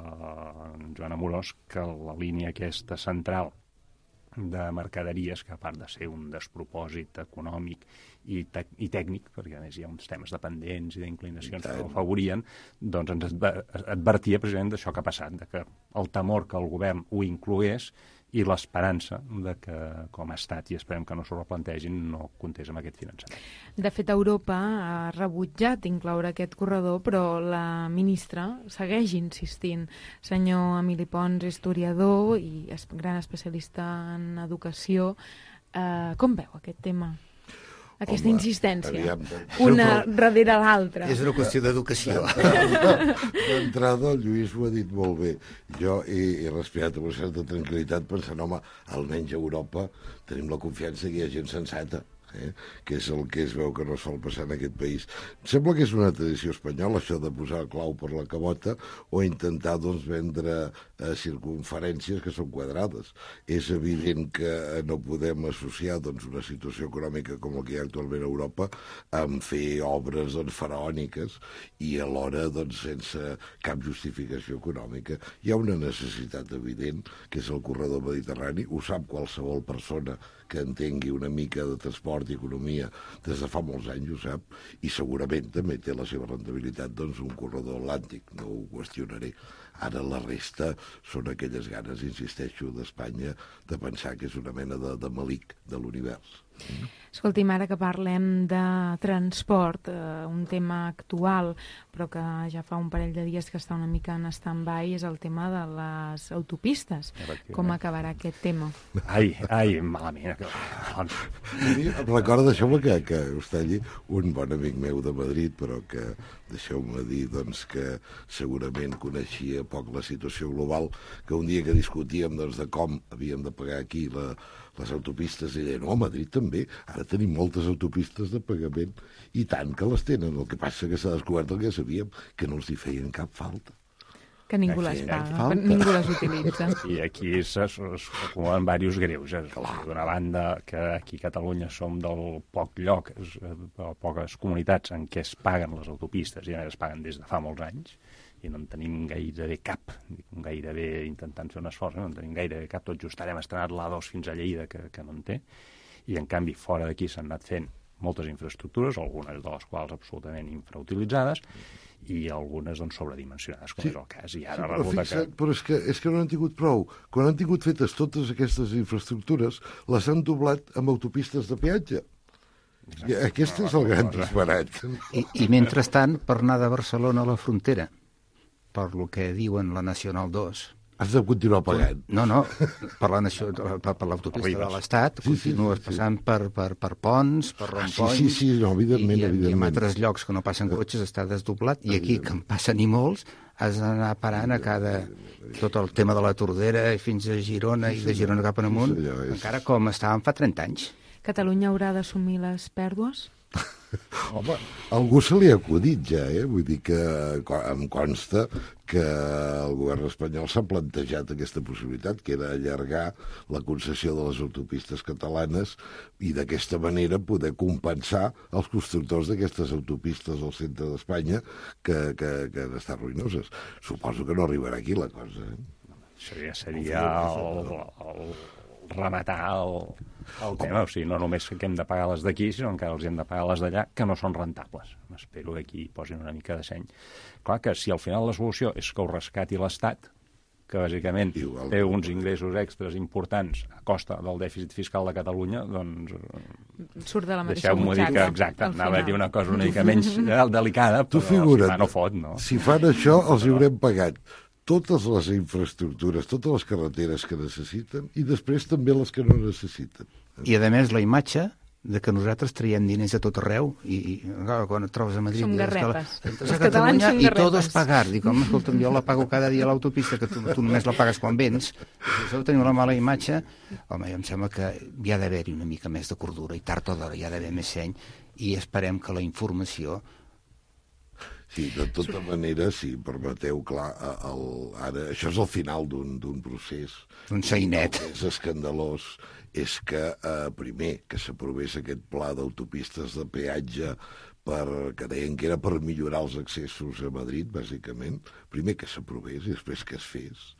en Joan Amorós que la línia aquesta central de mercaderies, que a part de ser un despropòsit econòmic i, te i tècnic, perquè a més hi ha uns temes dependents i d'inclinacions que ho afavorien, doncs ens advertia precisament d'això que ha passat, de que el temor que el govern ho inclogués i l'esperança de que, com ha estat, i esperem que no s'ho replantegin, no comptés amb aquest finançament. De fet, Europa ha rebutjat incloure aquest corredor, però la ministra segueix insistint. Senyor Emili Pons, historiador i es gran especialista en educació, eh, com veu aquest tema? Aquesta Home, insistència, aviam, una sempre- darrere l'altra. És una qüestió d'educació. D'entrada, el Lluís ho ha dit molt bé. Jo he, he respirat amb una certa tranquil·litat pensant, home, almenys a Europa tenim la confiança que hi ha gent sensata, eh? que és el que es veu que no sol passar en aquest país. Em sembla que és una tradició espanyola, això de posar clau per la cabota o intentar doncs, vendre eh, circunferències que són quadrades. És evident que no podem associar doncs, una situació econòmica com la que hi ha actualment a Europa amb fer obres doncs, faraòniques i alhora doncs, sense cap justificació econòmica. Hi ha una necessitat evident, que és el corredor mediterrani, ho sap qualsevol persona que entengui una mica de transport i economia des de fa molts anys, ho sap, i segurament també té la seva rendibilitat doncs, un corredor atlàntic, no ho qüestionaré. Ara la resta són aquelles ganes, insisteixo, d'Espanya de pensar que és una mena de, de malic de l'univers. Escolti'm, ara que parlem de transport, eh, un tema actual, però que ja fa un parell de dies que està una mica en stand-by, és el tema de les autopistes. Com acabarà aquest tema? Ai, ai, malament. Em recorda, deixeu-me que, que us talli, un bon amic meu de Madrid, però que deixeu-me dir doncs, que segurament coneixia poc la situació global, que un dia que discutíem doncs, de com havíem de pagar aquí la, les autopistes, i deia, no, a Madrid també, ara tenim moltes autopistes de pagament, i tant que les tenen. El que passa que s'ha descobert el que sabíem, que no els hi feien cap falta. Que ningú les paga, ningú les utilitza. I aquí s'acumulen diversos greuges. D'una banda, que aquí a Catalunya som del poc lloc, poques comunitats en què es paguen les autopistes, i a més es paguen des de fa molts anys, i no en tenim gairebé cap, gairebé intentant fer un esforç, no en tenim gairebé cap, tot just ara hem estrenat l'A dos fins a Lleida, que, que no en té, i en canvi fora d'aquí s'han anat fent moltes infraestructures, algunes de les quals absolutament infrautilitzades, i algunes doncs, sobredimensionades, com sí. és el cas. I ara sí, resulta fixa, que... Però és que, és que no han tingut prou. Quan han tingut fetes totes aquestes infraestructures, les han doblat amb autopistes de peatge. I aquest és el gran disbarat. I, I mentrestant, per anar de Barcelona a la frontera, per lo que diuen la Nacional dos... Has de continuar pagant. No, no, per la per, per l'autopista de l'Estat, sí, continues sí, sí, passant sí. Per, per, per ponts, per romponys, sí, sí, sí, no, evidentment, i, i, evidentment. i en altres llocs que no passen cotxes està desdoblat, i aquí, que en passen i molts, has d'anar parant a cada... tot el tema de la Tordera fins a Girona, i de Girona cap en amunt, sí, és... encara com estàvem fa trenta anys. Catalunya haurà d'assumir les pèrdues? Home, algú se li ha acudit ja, eh? Vull dir que em consta que el govern espanyol s'ha plantejat aquesta possibilitat, que era allargar la concessió de les autopistes catalanes i d'aquesta manera poder compensar els constructors d'aquestes autopistes al centre d'Espanya que, que, que han estat ruïnoses. Suposo que no arribarà aquí la cosa. Eh? Seria, seria el, el, el rematar el, el tema. O sigui, no només que hem de pagar les d'aquí, sinó que els hem de pagar les d'allà, que no són rentables. Espero que aquí posin una mica de seny. Clar que si al final la solució és que ho rescati l'Estat, que bàsicament Igual. té uns ingressos extras importants a costa del dèficit fiscal de Catalunya, doncs... Surt de la mateixa deixeu-m'ho dir que, exacte, anava a dir una cosa una mica menys delicada, però figura't, si fa no fot, no? Si fan això, els haurem pagat totes les infraestructures, totes les carreteres que necessiten i després també les que no necessiten. I, a més, la imatge de que nosaltres traiem diners a tot arreu i, i quan et trobes a Madrid... Som garrepes. Els catalans són garrepes. I tot és pagar. Dic, home, escolta'm, jo la pago cada dia a l'autopista, que tu, tu només la pagues quan vens. Si això teniu la mala imatge, home, em sembla que hi ha d'haver-hi una mica més de cordura i tard o d'hora hi ha d'haver més seny i esperem que la informació Sí, de tota manera, si permeteu, clar, el, ara, això és el final d'un procés. Un sainet. El que és escandalós és que, eh, primer, que s'aprovés aquest pla d'autopistes de peatge per, que deien que era per millorar els accessos a Madrid, bàsicament. Primer que s'aprovés i després que es fes.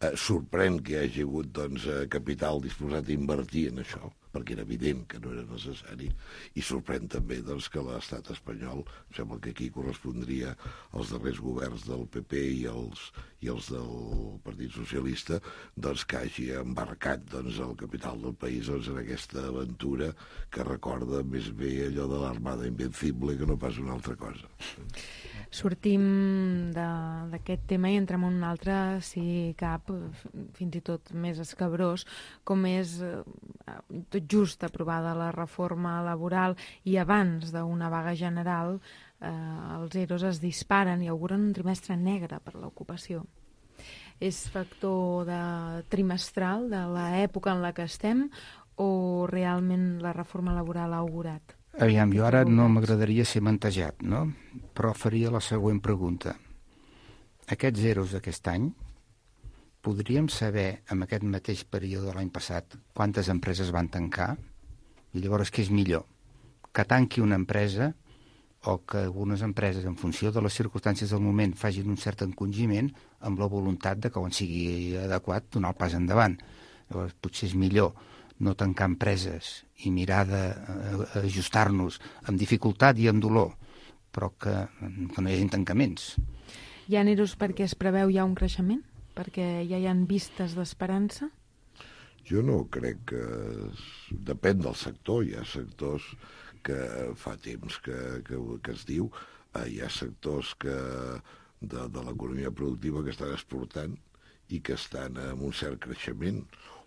Eh, sorprèn que hi hagi hagut doncs, capital disposat a invertir en això, perquè era evident que no era necessari, i sorprèn també doncs, que l'estat espanyol, em sembla que aquí correspondria als darrers governs del P P i els, i els del Partit Socialista, doncs, que hagi embarcat doncs, el capital del país doncs, en aquesta aventura que recorda més bé allò de l'Armada Invencible que no pas una altra cosa. Sortim d'aquest tema i entrem en un altre, si cap, fins i tot més escabrós, com és eh, tot just aprovada la reforma laboral i abans d'una vaga general, eh, els E R Os es disparen i auguren un trimestre negre per l'ocupació. És factor de trimestral de l'època en la que estem o realment la reforma laboral ha augurat? Aviam, jo ara no m'agradaria ser mantejat, no? Però faria la següent pregunta. Aquests zeros d'aquest any, podríem saber, en aquest mateix període de l'any passat, quantes empreses van tancar? I llavors, què és millor? Que tanqui una empresa o que algunes empreses, en funció de les circumstàncies del moment, facin un cert encongiment amb la voluntat de que, quan sigui adequat, donar el pas endavant. Llavors, potser és millor no tancar empreses i mirar d'ajustar-nos amb dificultat i amb dolor, però que, que no hi hagi tancaments. Hi ha E R Os perquè es preveu ja un creixement? Perquè ja hi ha vistes d'esperança? Jo no crec que... Es... Depèn del sector. Hi ha sectors que fa temps que, que, que es diu, eh, hi ha sectors que de, de l'economia productiva que estan exportant i que estan en un cert creixement,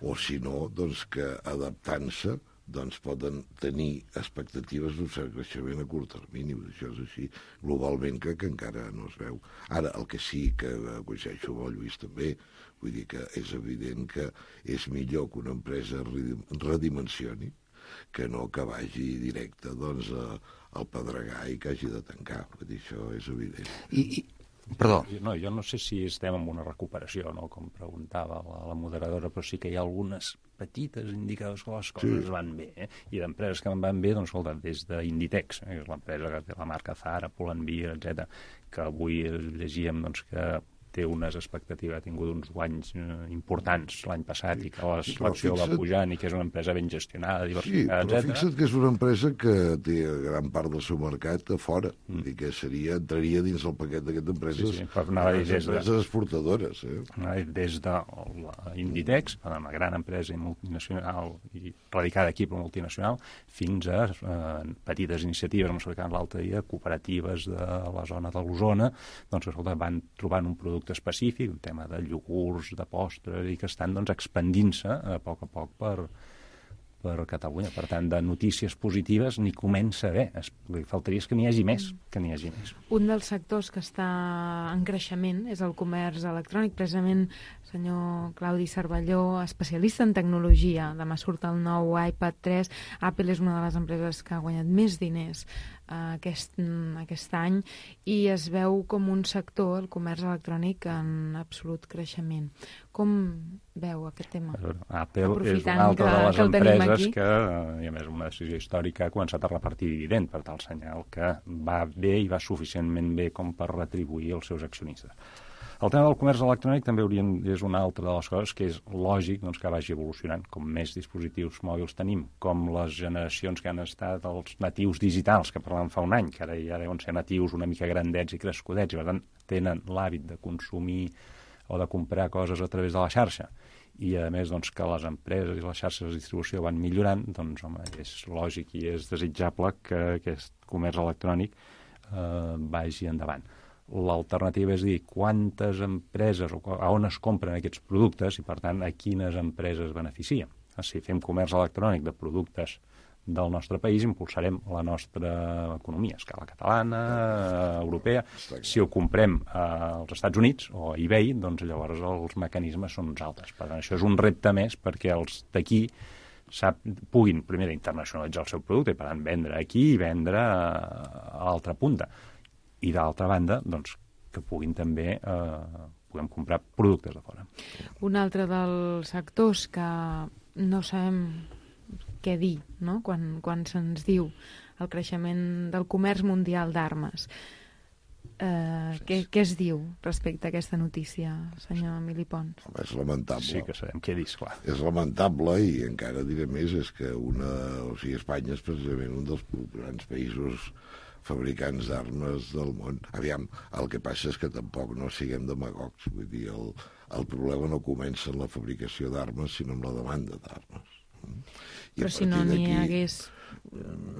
o si no, doncs que adaptant-se doncs poden tenir expectatives d'un cert creixement a curt termini. Això és així, globalment crec que encara no es veu. Ara, el que sí que coincideixo amb el Lluís també, vull dir que és evident que és millor que una empresa redimensioni que no que vagi directe doncs, al pedregar i que hagi de tancar. Vull dir, això és evident. I, i Perdó. No, jo no sé si estem en una recuperació, no? Com preguntava la, la moderadora, però sí que hi ha algunes petites indicadors que les coses sí. van bé, eh? I d'empreses que van bé, doncs, escolta, des d'Inditex, eh? l'empresa que té la marca Zara, Pull&Bear, etcètera, que avui llegíem doncs, que té unes expectatives, ha tingut uns guanys eh, importants l'any passat sí. i que l'acció va pujant i que és una empresa ben gestionada, diversificada, sí, però etcètera. Fixa't que és una empresa que té gran part del seu mercat a fora, mm. vull dir que seria, entraria dins el paquet d'aquestes empreses, sí, sí, empreses de, exportadores. Eh? Des de l'Inditex, una gran empresa multinacional i radicada aquí per multinacional, fins a eh, petites iniciatives, com s'explicava l'altre dia, cooperatives de la zona de l'Osona, doncs escolta, van trobant un producte específic, un tema de iogurts, de postres, i que estan doncs, expandint-se a poc a poc per, per Catalunya. Per tant, de notícies positives n'hi comença a haver. Es, el que faltaria és que n'hi hagi més, que n'hi hagi més. Un dels sectors que està en creixement és el comerç electrònic. Precisament, senyor Claudi Cervelló, especialista en tecnologia. Demà surt el nou iPad tres. Apple és una de les empreses que ha guanyat més diners Aquest, aquest any i es veu com un sector, el comerç electrònic, en absolut creixement. Com veu aquest tema? Apple és una altra de les empreses que, i a més una decisió històrica, ha començat a repartir dividend, per tal senyal que va bé i va suficientment bé com per retribuir els seus accionistes. El tema del comerç electrònic també haurien, és una altra de les coses que és lògic doncs, que vagi evolucionant. Com més dispositius mòbils tenim, com les generacions que han estat els natius digitals, que parlàvem fa un any, que ara ja deuen ser natius una mica grandets i crescudets, i per tant tenen l'hàbit de consumir o de comprar coses a través de la xarxa. I a més doncs, que les empreses i les xarxes de distribució van millorant, doncs home, és lògic i és desitjable que aquest comerç electrònic eh, vagi endavant. L'alternativa és dir quantes empreses o a on es compren aquests productes i, per tant, a quines empreses beneficien. Si fem comerç electrònic de productes del nostre país, impulsarem la nostra economia a escala catalana, europea. Si ho comprem als Estats Units o a eBay, doncs llavors els mecanismes són uns altres. Per tant, això és un repte més perquè els d'aquí sap, puguin, primer, internacionalitzar el seu producte i, per tant, vendre aquí i vendre a l'altra punta. i d'altra banda, doncs, que puguin també eh, puguem comprar productes de fora. Un altre dels sectors que no sabem què dir, no?, quan, quan se'ns diu el creixement del comerç mundial d'armes. Eh, què, què es diu respecte a aquesta notícia, senyor Emili Pons? Home, és lamentable. Sí que sabem què dir, esclar. És lamentable, i encara diré més, és que una, o sigui, Espanya és precisament un dels grans països fabricants d'armes del món. Aviam, el que passa és que tampoc no siguem demagogs. Vull dir, el, el problema no comença en la fabricació d'armes, sinó en la demanda d'armes. I Però si no n'hi hagués...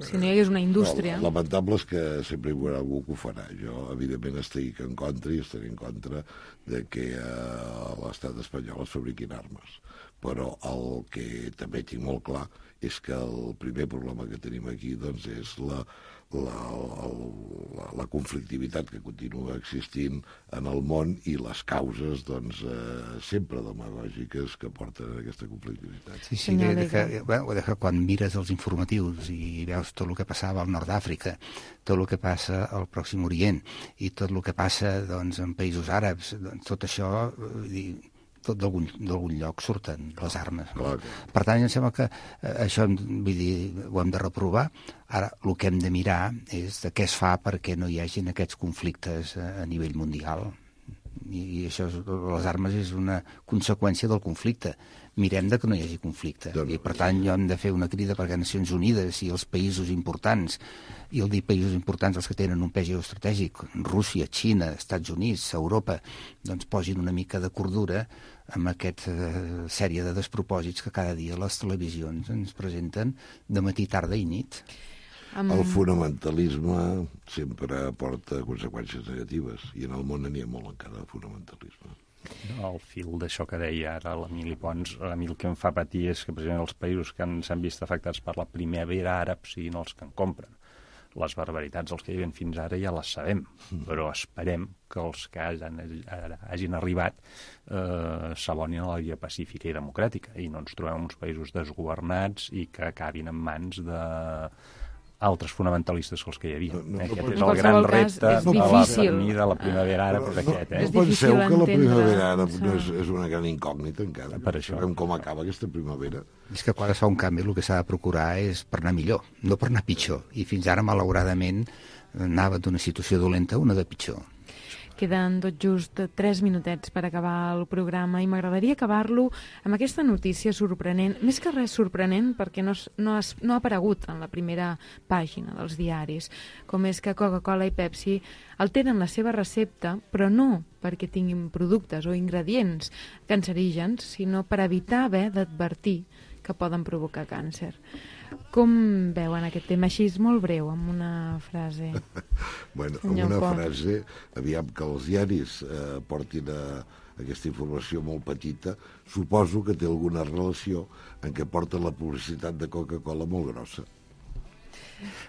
Si no hi hagués una indústria... No, lamentable és que sempre hi haurà algú que ho farà. Jo, evidentment, estic en contra i estaré en contra de que a l'estat espanyol es fabriquin armes. Però el que també tinc molt clar és que el primer problema que tenim aquí doncs, és la, la, la, la conflictivitat que continua existint en el món i les causes doncs, eh, sempre demagògiques que porten a aquesta conflictivitat. Sí, sí, de, de que, bueno, de que quan mires els informatius i veus tot el que passava al nord d'Àfrica, tot el que passa al Pròxim Orient i tot el que passa doncs, en països àrabs, doncs, tot això... Eh, tot d'algun lloc surten les armes. No? Per tant, em sembla que eh, això vull dir, ho hem de reprovar. Ara, el que hem de mirar és de què es fa perquè no hi hagin aquests conflictes a, a nivell mundial. I, i això, les armes és una conseqüència del conflicte. Mirem de que no hi hagi conflicte. I, per tant, jo hem de fer una crida perquè Nacions Unides i els països importants, i el dir països importants, els que tenen un pes geoestratègic, Rússia, Xina, Estats Units, Europa, doncs posin una mica de cordura amb aquesta uh, sèrie de despropòsits que cada dia les televisions ens presenten de matí, tarda i nit. Um... El fonamentalisme sempre porta conseqüències negatives, i en el món n'hi ha molt encara de fonamentalisme. Al fil d'això que deia ara l'Emili Pons, a mi el que em fa patir és que precisament els països que s'han vist afectats per la primavera àrab siguin els que en compren. Les barbaritats, els que hi havien fins ara, ja les sabem, però esperem que els que hagin, hagin arribat eh, s'abonin a la via pacífica i democràtica i no ens trobem uns països desgovernats i que acabin en mans de altres fonamentalistes que els que hi havia. No, no, aquest no, és el gran repte de la, de la primavera àrab, és aquest. Eh? No, no penseu que la primavera àrab no és, és una gran incògnita encara. Per això. Sabem com acaba aquesta primavera. És que quan es fa un canvi el que s'ha de procurar és per anar millor, no per anar pitjor. I fins ara, malauradament, anava d'una situació dolenta a una de pitjor. Queden tot just tres minutets per acabar el programa i m'agradaria acabar-lo amb aquesta notícia sorprenent, més que res sorprenent perquè no, no, has, no ha aparegut en la primera pàgina dels diaris, com és que Coca-Cola i Pepsi alteren la seva recepta, però no perquè tinguin productes o ingredients cancerígens, sinó per evitar haver d'advertir que poden provocar càncer. Com veuen aquest tema així, molt breu, amb una frase? Bueno, amb una Pons. frase, aviam que els diaris eh, portin a aquesta informació molt petita, suposo que té alguna relació en què porten la publicitat de Coca-Cola molt grossa.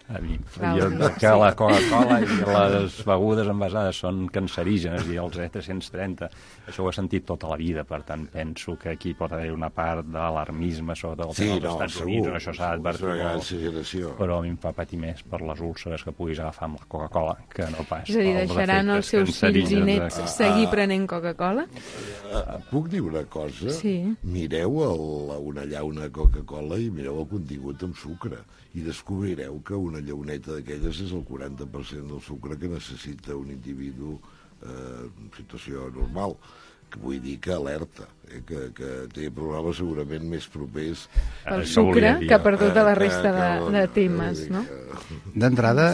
A mi, jo, que la Coca-Cola i les begudes envasades són cancerígenes i els E tres-cents trenta, això ho he sentit tota la vida, per tant penso que aquí pot haver una part d'alarmisme sobre el sí, tema dels no, Estats segur, Units, això s'ha d'advertir, però a mi em fa patir més per les úlceres que puguis agafar amb la Coca-Cola que no pas. És a dir, deixaran els seus fills i nets de... seguir prenent Coca-Cola? Uh, puc dir una cosa? Sí. Mireu el, una llauna Coca-Cola i mireu el contingut amb sucre i descobrireu que una llauneta d'aquelles és el quaranta per cent del sucre que necessita un individu eh, en situació normal. Que vull dir que alerta, eh, que, que té problemes segurament més propers pel sucre no que per tota la resta de, de temes, no? D'entrada,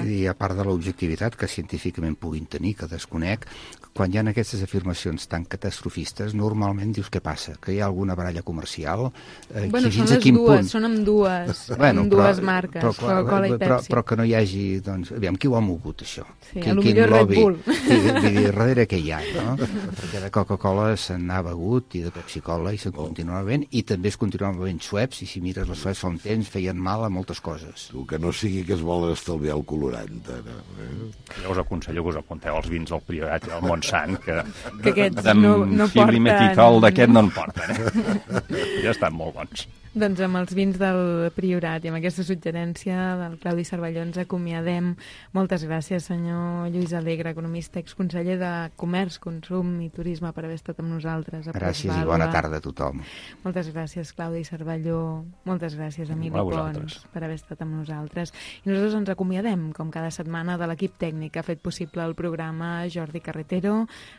i a part de l'objectivitat que científicament puguin tenir, que desconec, quan hi ha aquestes afirmacions tan catastrofistes, normalment dius què passa? Que hi ha alguna baralla comercial? Eh, bueno, són les dues, punt... són amb dues, bueno, amb dues però, marques, però, Coca-Cola i Pepsi. Però, però que no hi hagi, doncs, aviam, qui ho ha mogut, això? Sí, quin, a lo millor Red Bull. Vull dir, darrere què hi ha, no? Perquè de Coca-Cola se n'ha begut i de Pepsi-Cola i se'n oh. continua bevent, i també es continuen bevent Schweppes, i si mires les Schweppes fa un temps feien mal a moltes coses. Tu, que no sigui que es volen estalviar el colorant, ara. Eh? Jo us aconsello que us apunteu als vins del Priorat i al Montsant, que, que aquests no, no porten... Filimetitol d'aquest no en porten, eh? Ja estan molt bons. Doncs amb els vins del Priorat i amb aquesta suggerència del Claudi Cervelló ens acomiadem. Moltes gràcies, senyor Lluís Alegre, economista, exconseller de Comerç, Consum i Turisme, per haver estat amb nosaltres. Gràcies i bona tarda a tothom. Moltes gràcies, Claudi Cervelló. Moltes gràcies, Emili Pons, per haver estat amb nosaltres. I nosaltres ens acomiadem, com cada setmana, de l'equip tècnic que ha fet possible el programa: Jordi Carretero,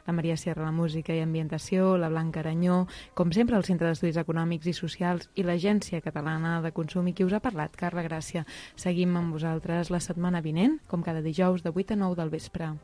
la Maria Sierra, la música i ambientació, la Blanca Aranyó, com sempre el Centre d'Estudis Econòmics i Socials i la Agència Catalana de Consum, i qui us ha parlat, Carla Gràcia. Seguim amb vosaltres la setmana vinent, com cada dijous de vuit a nou del vespre.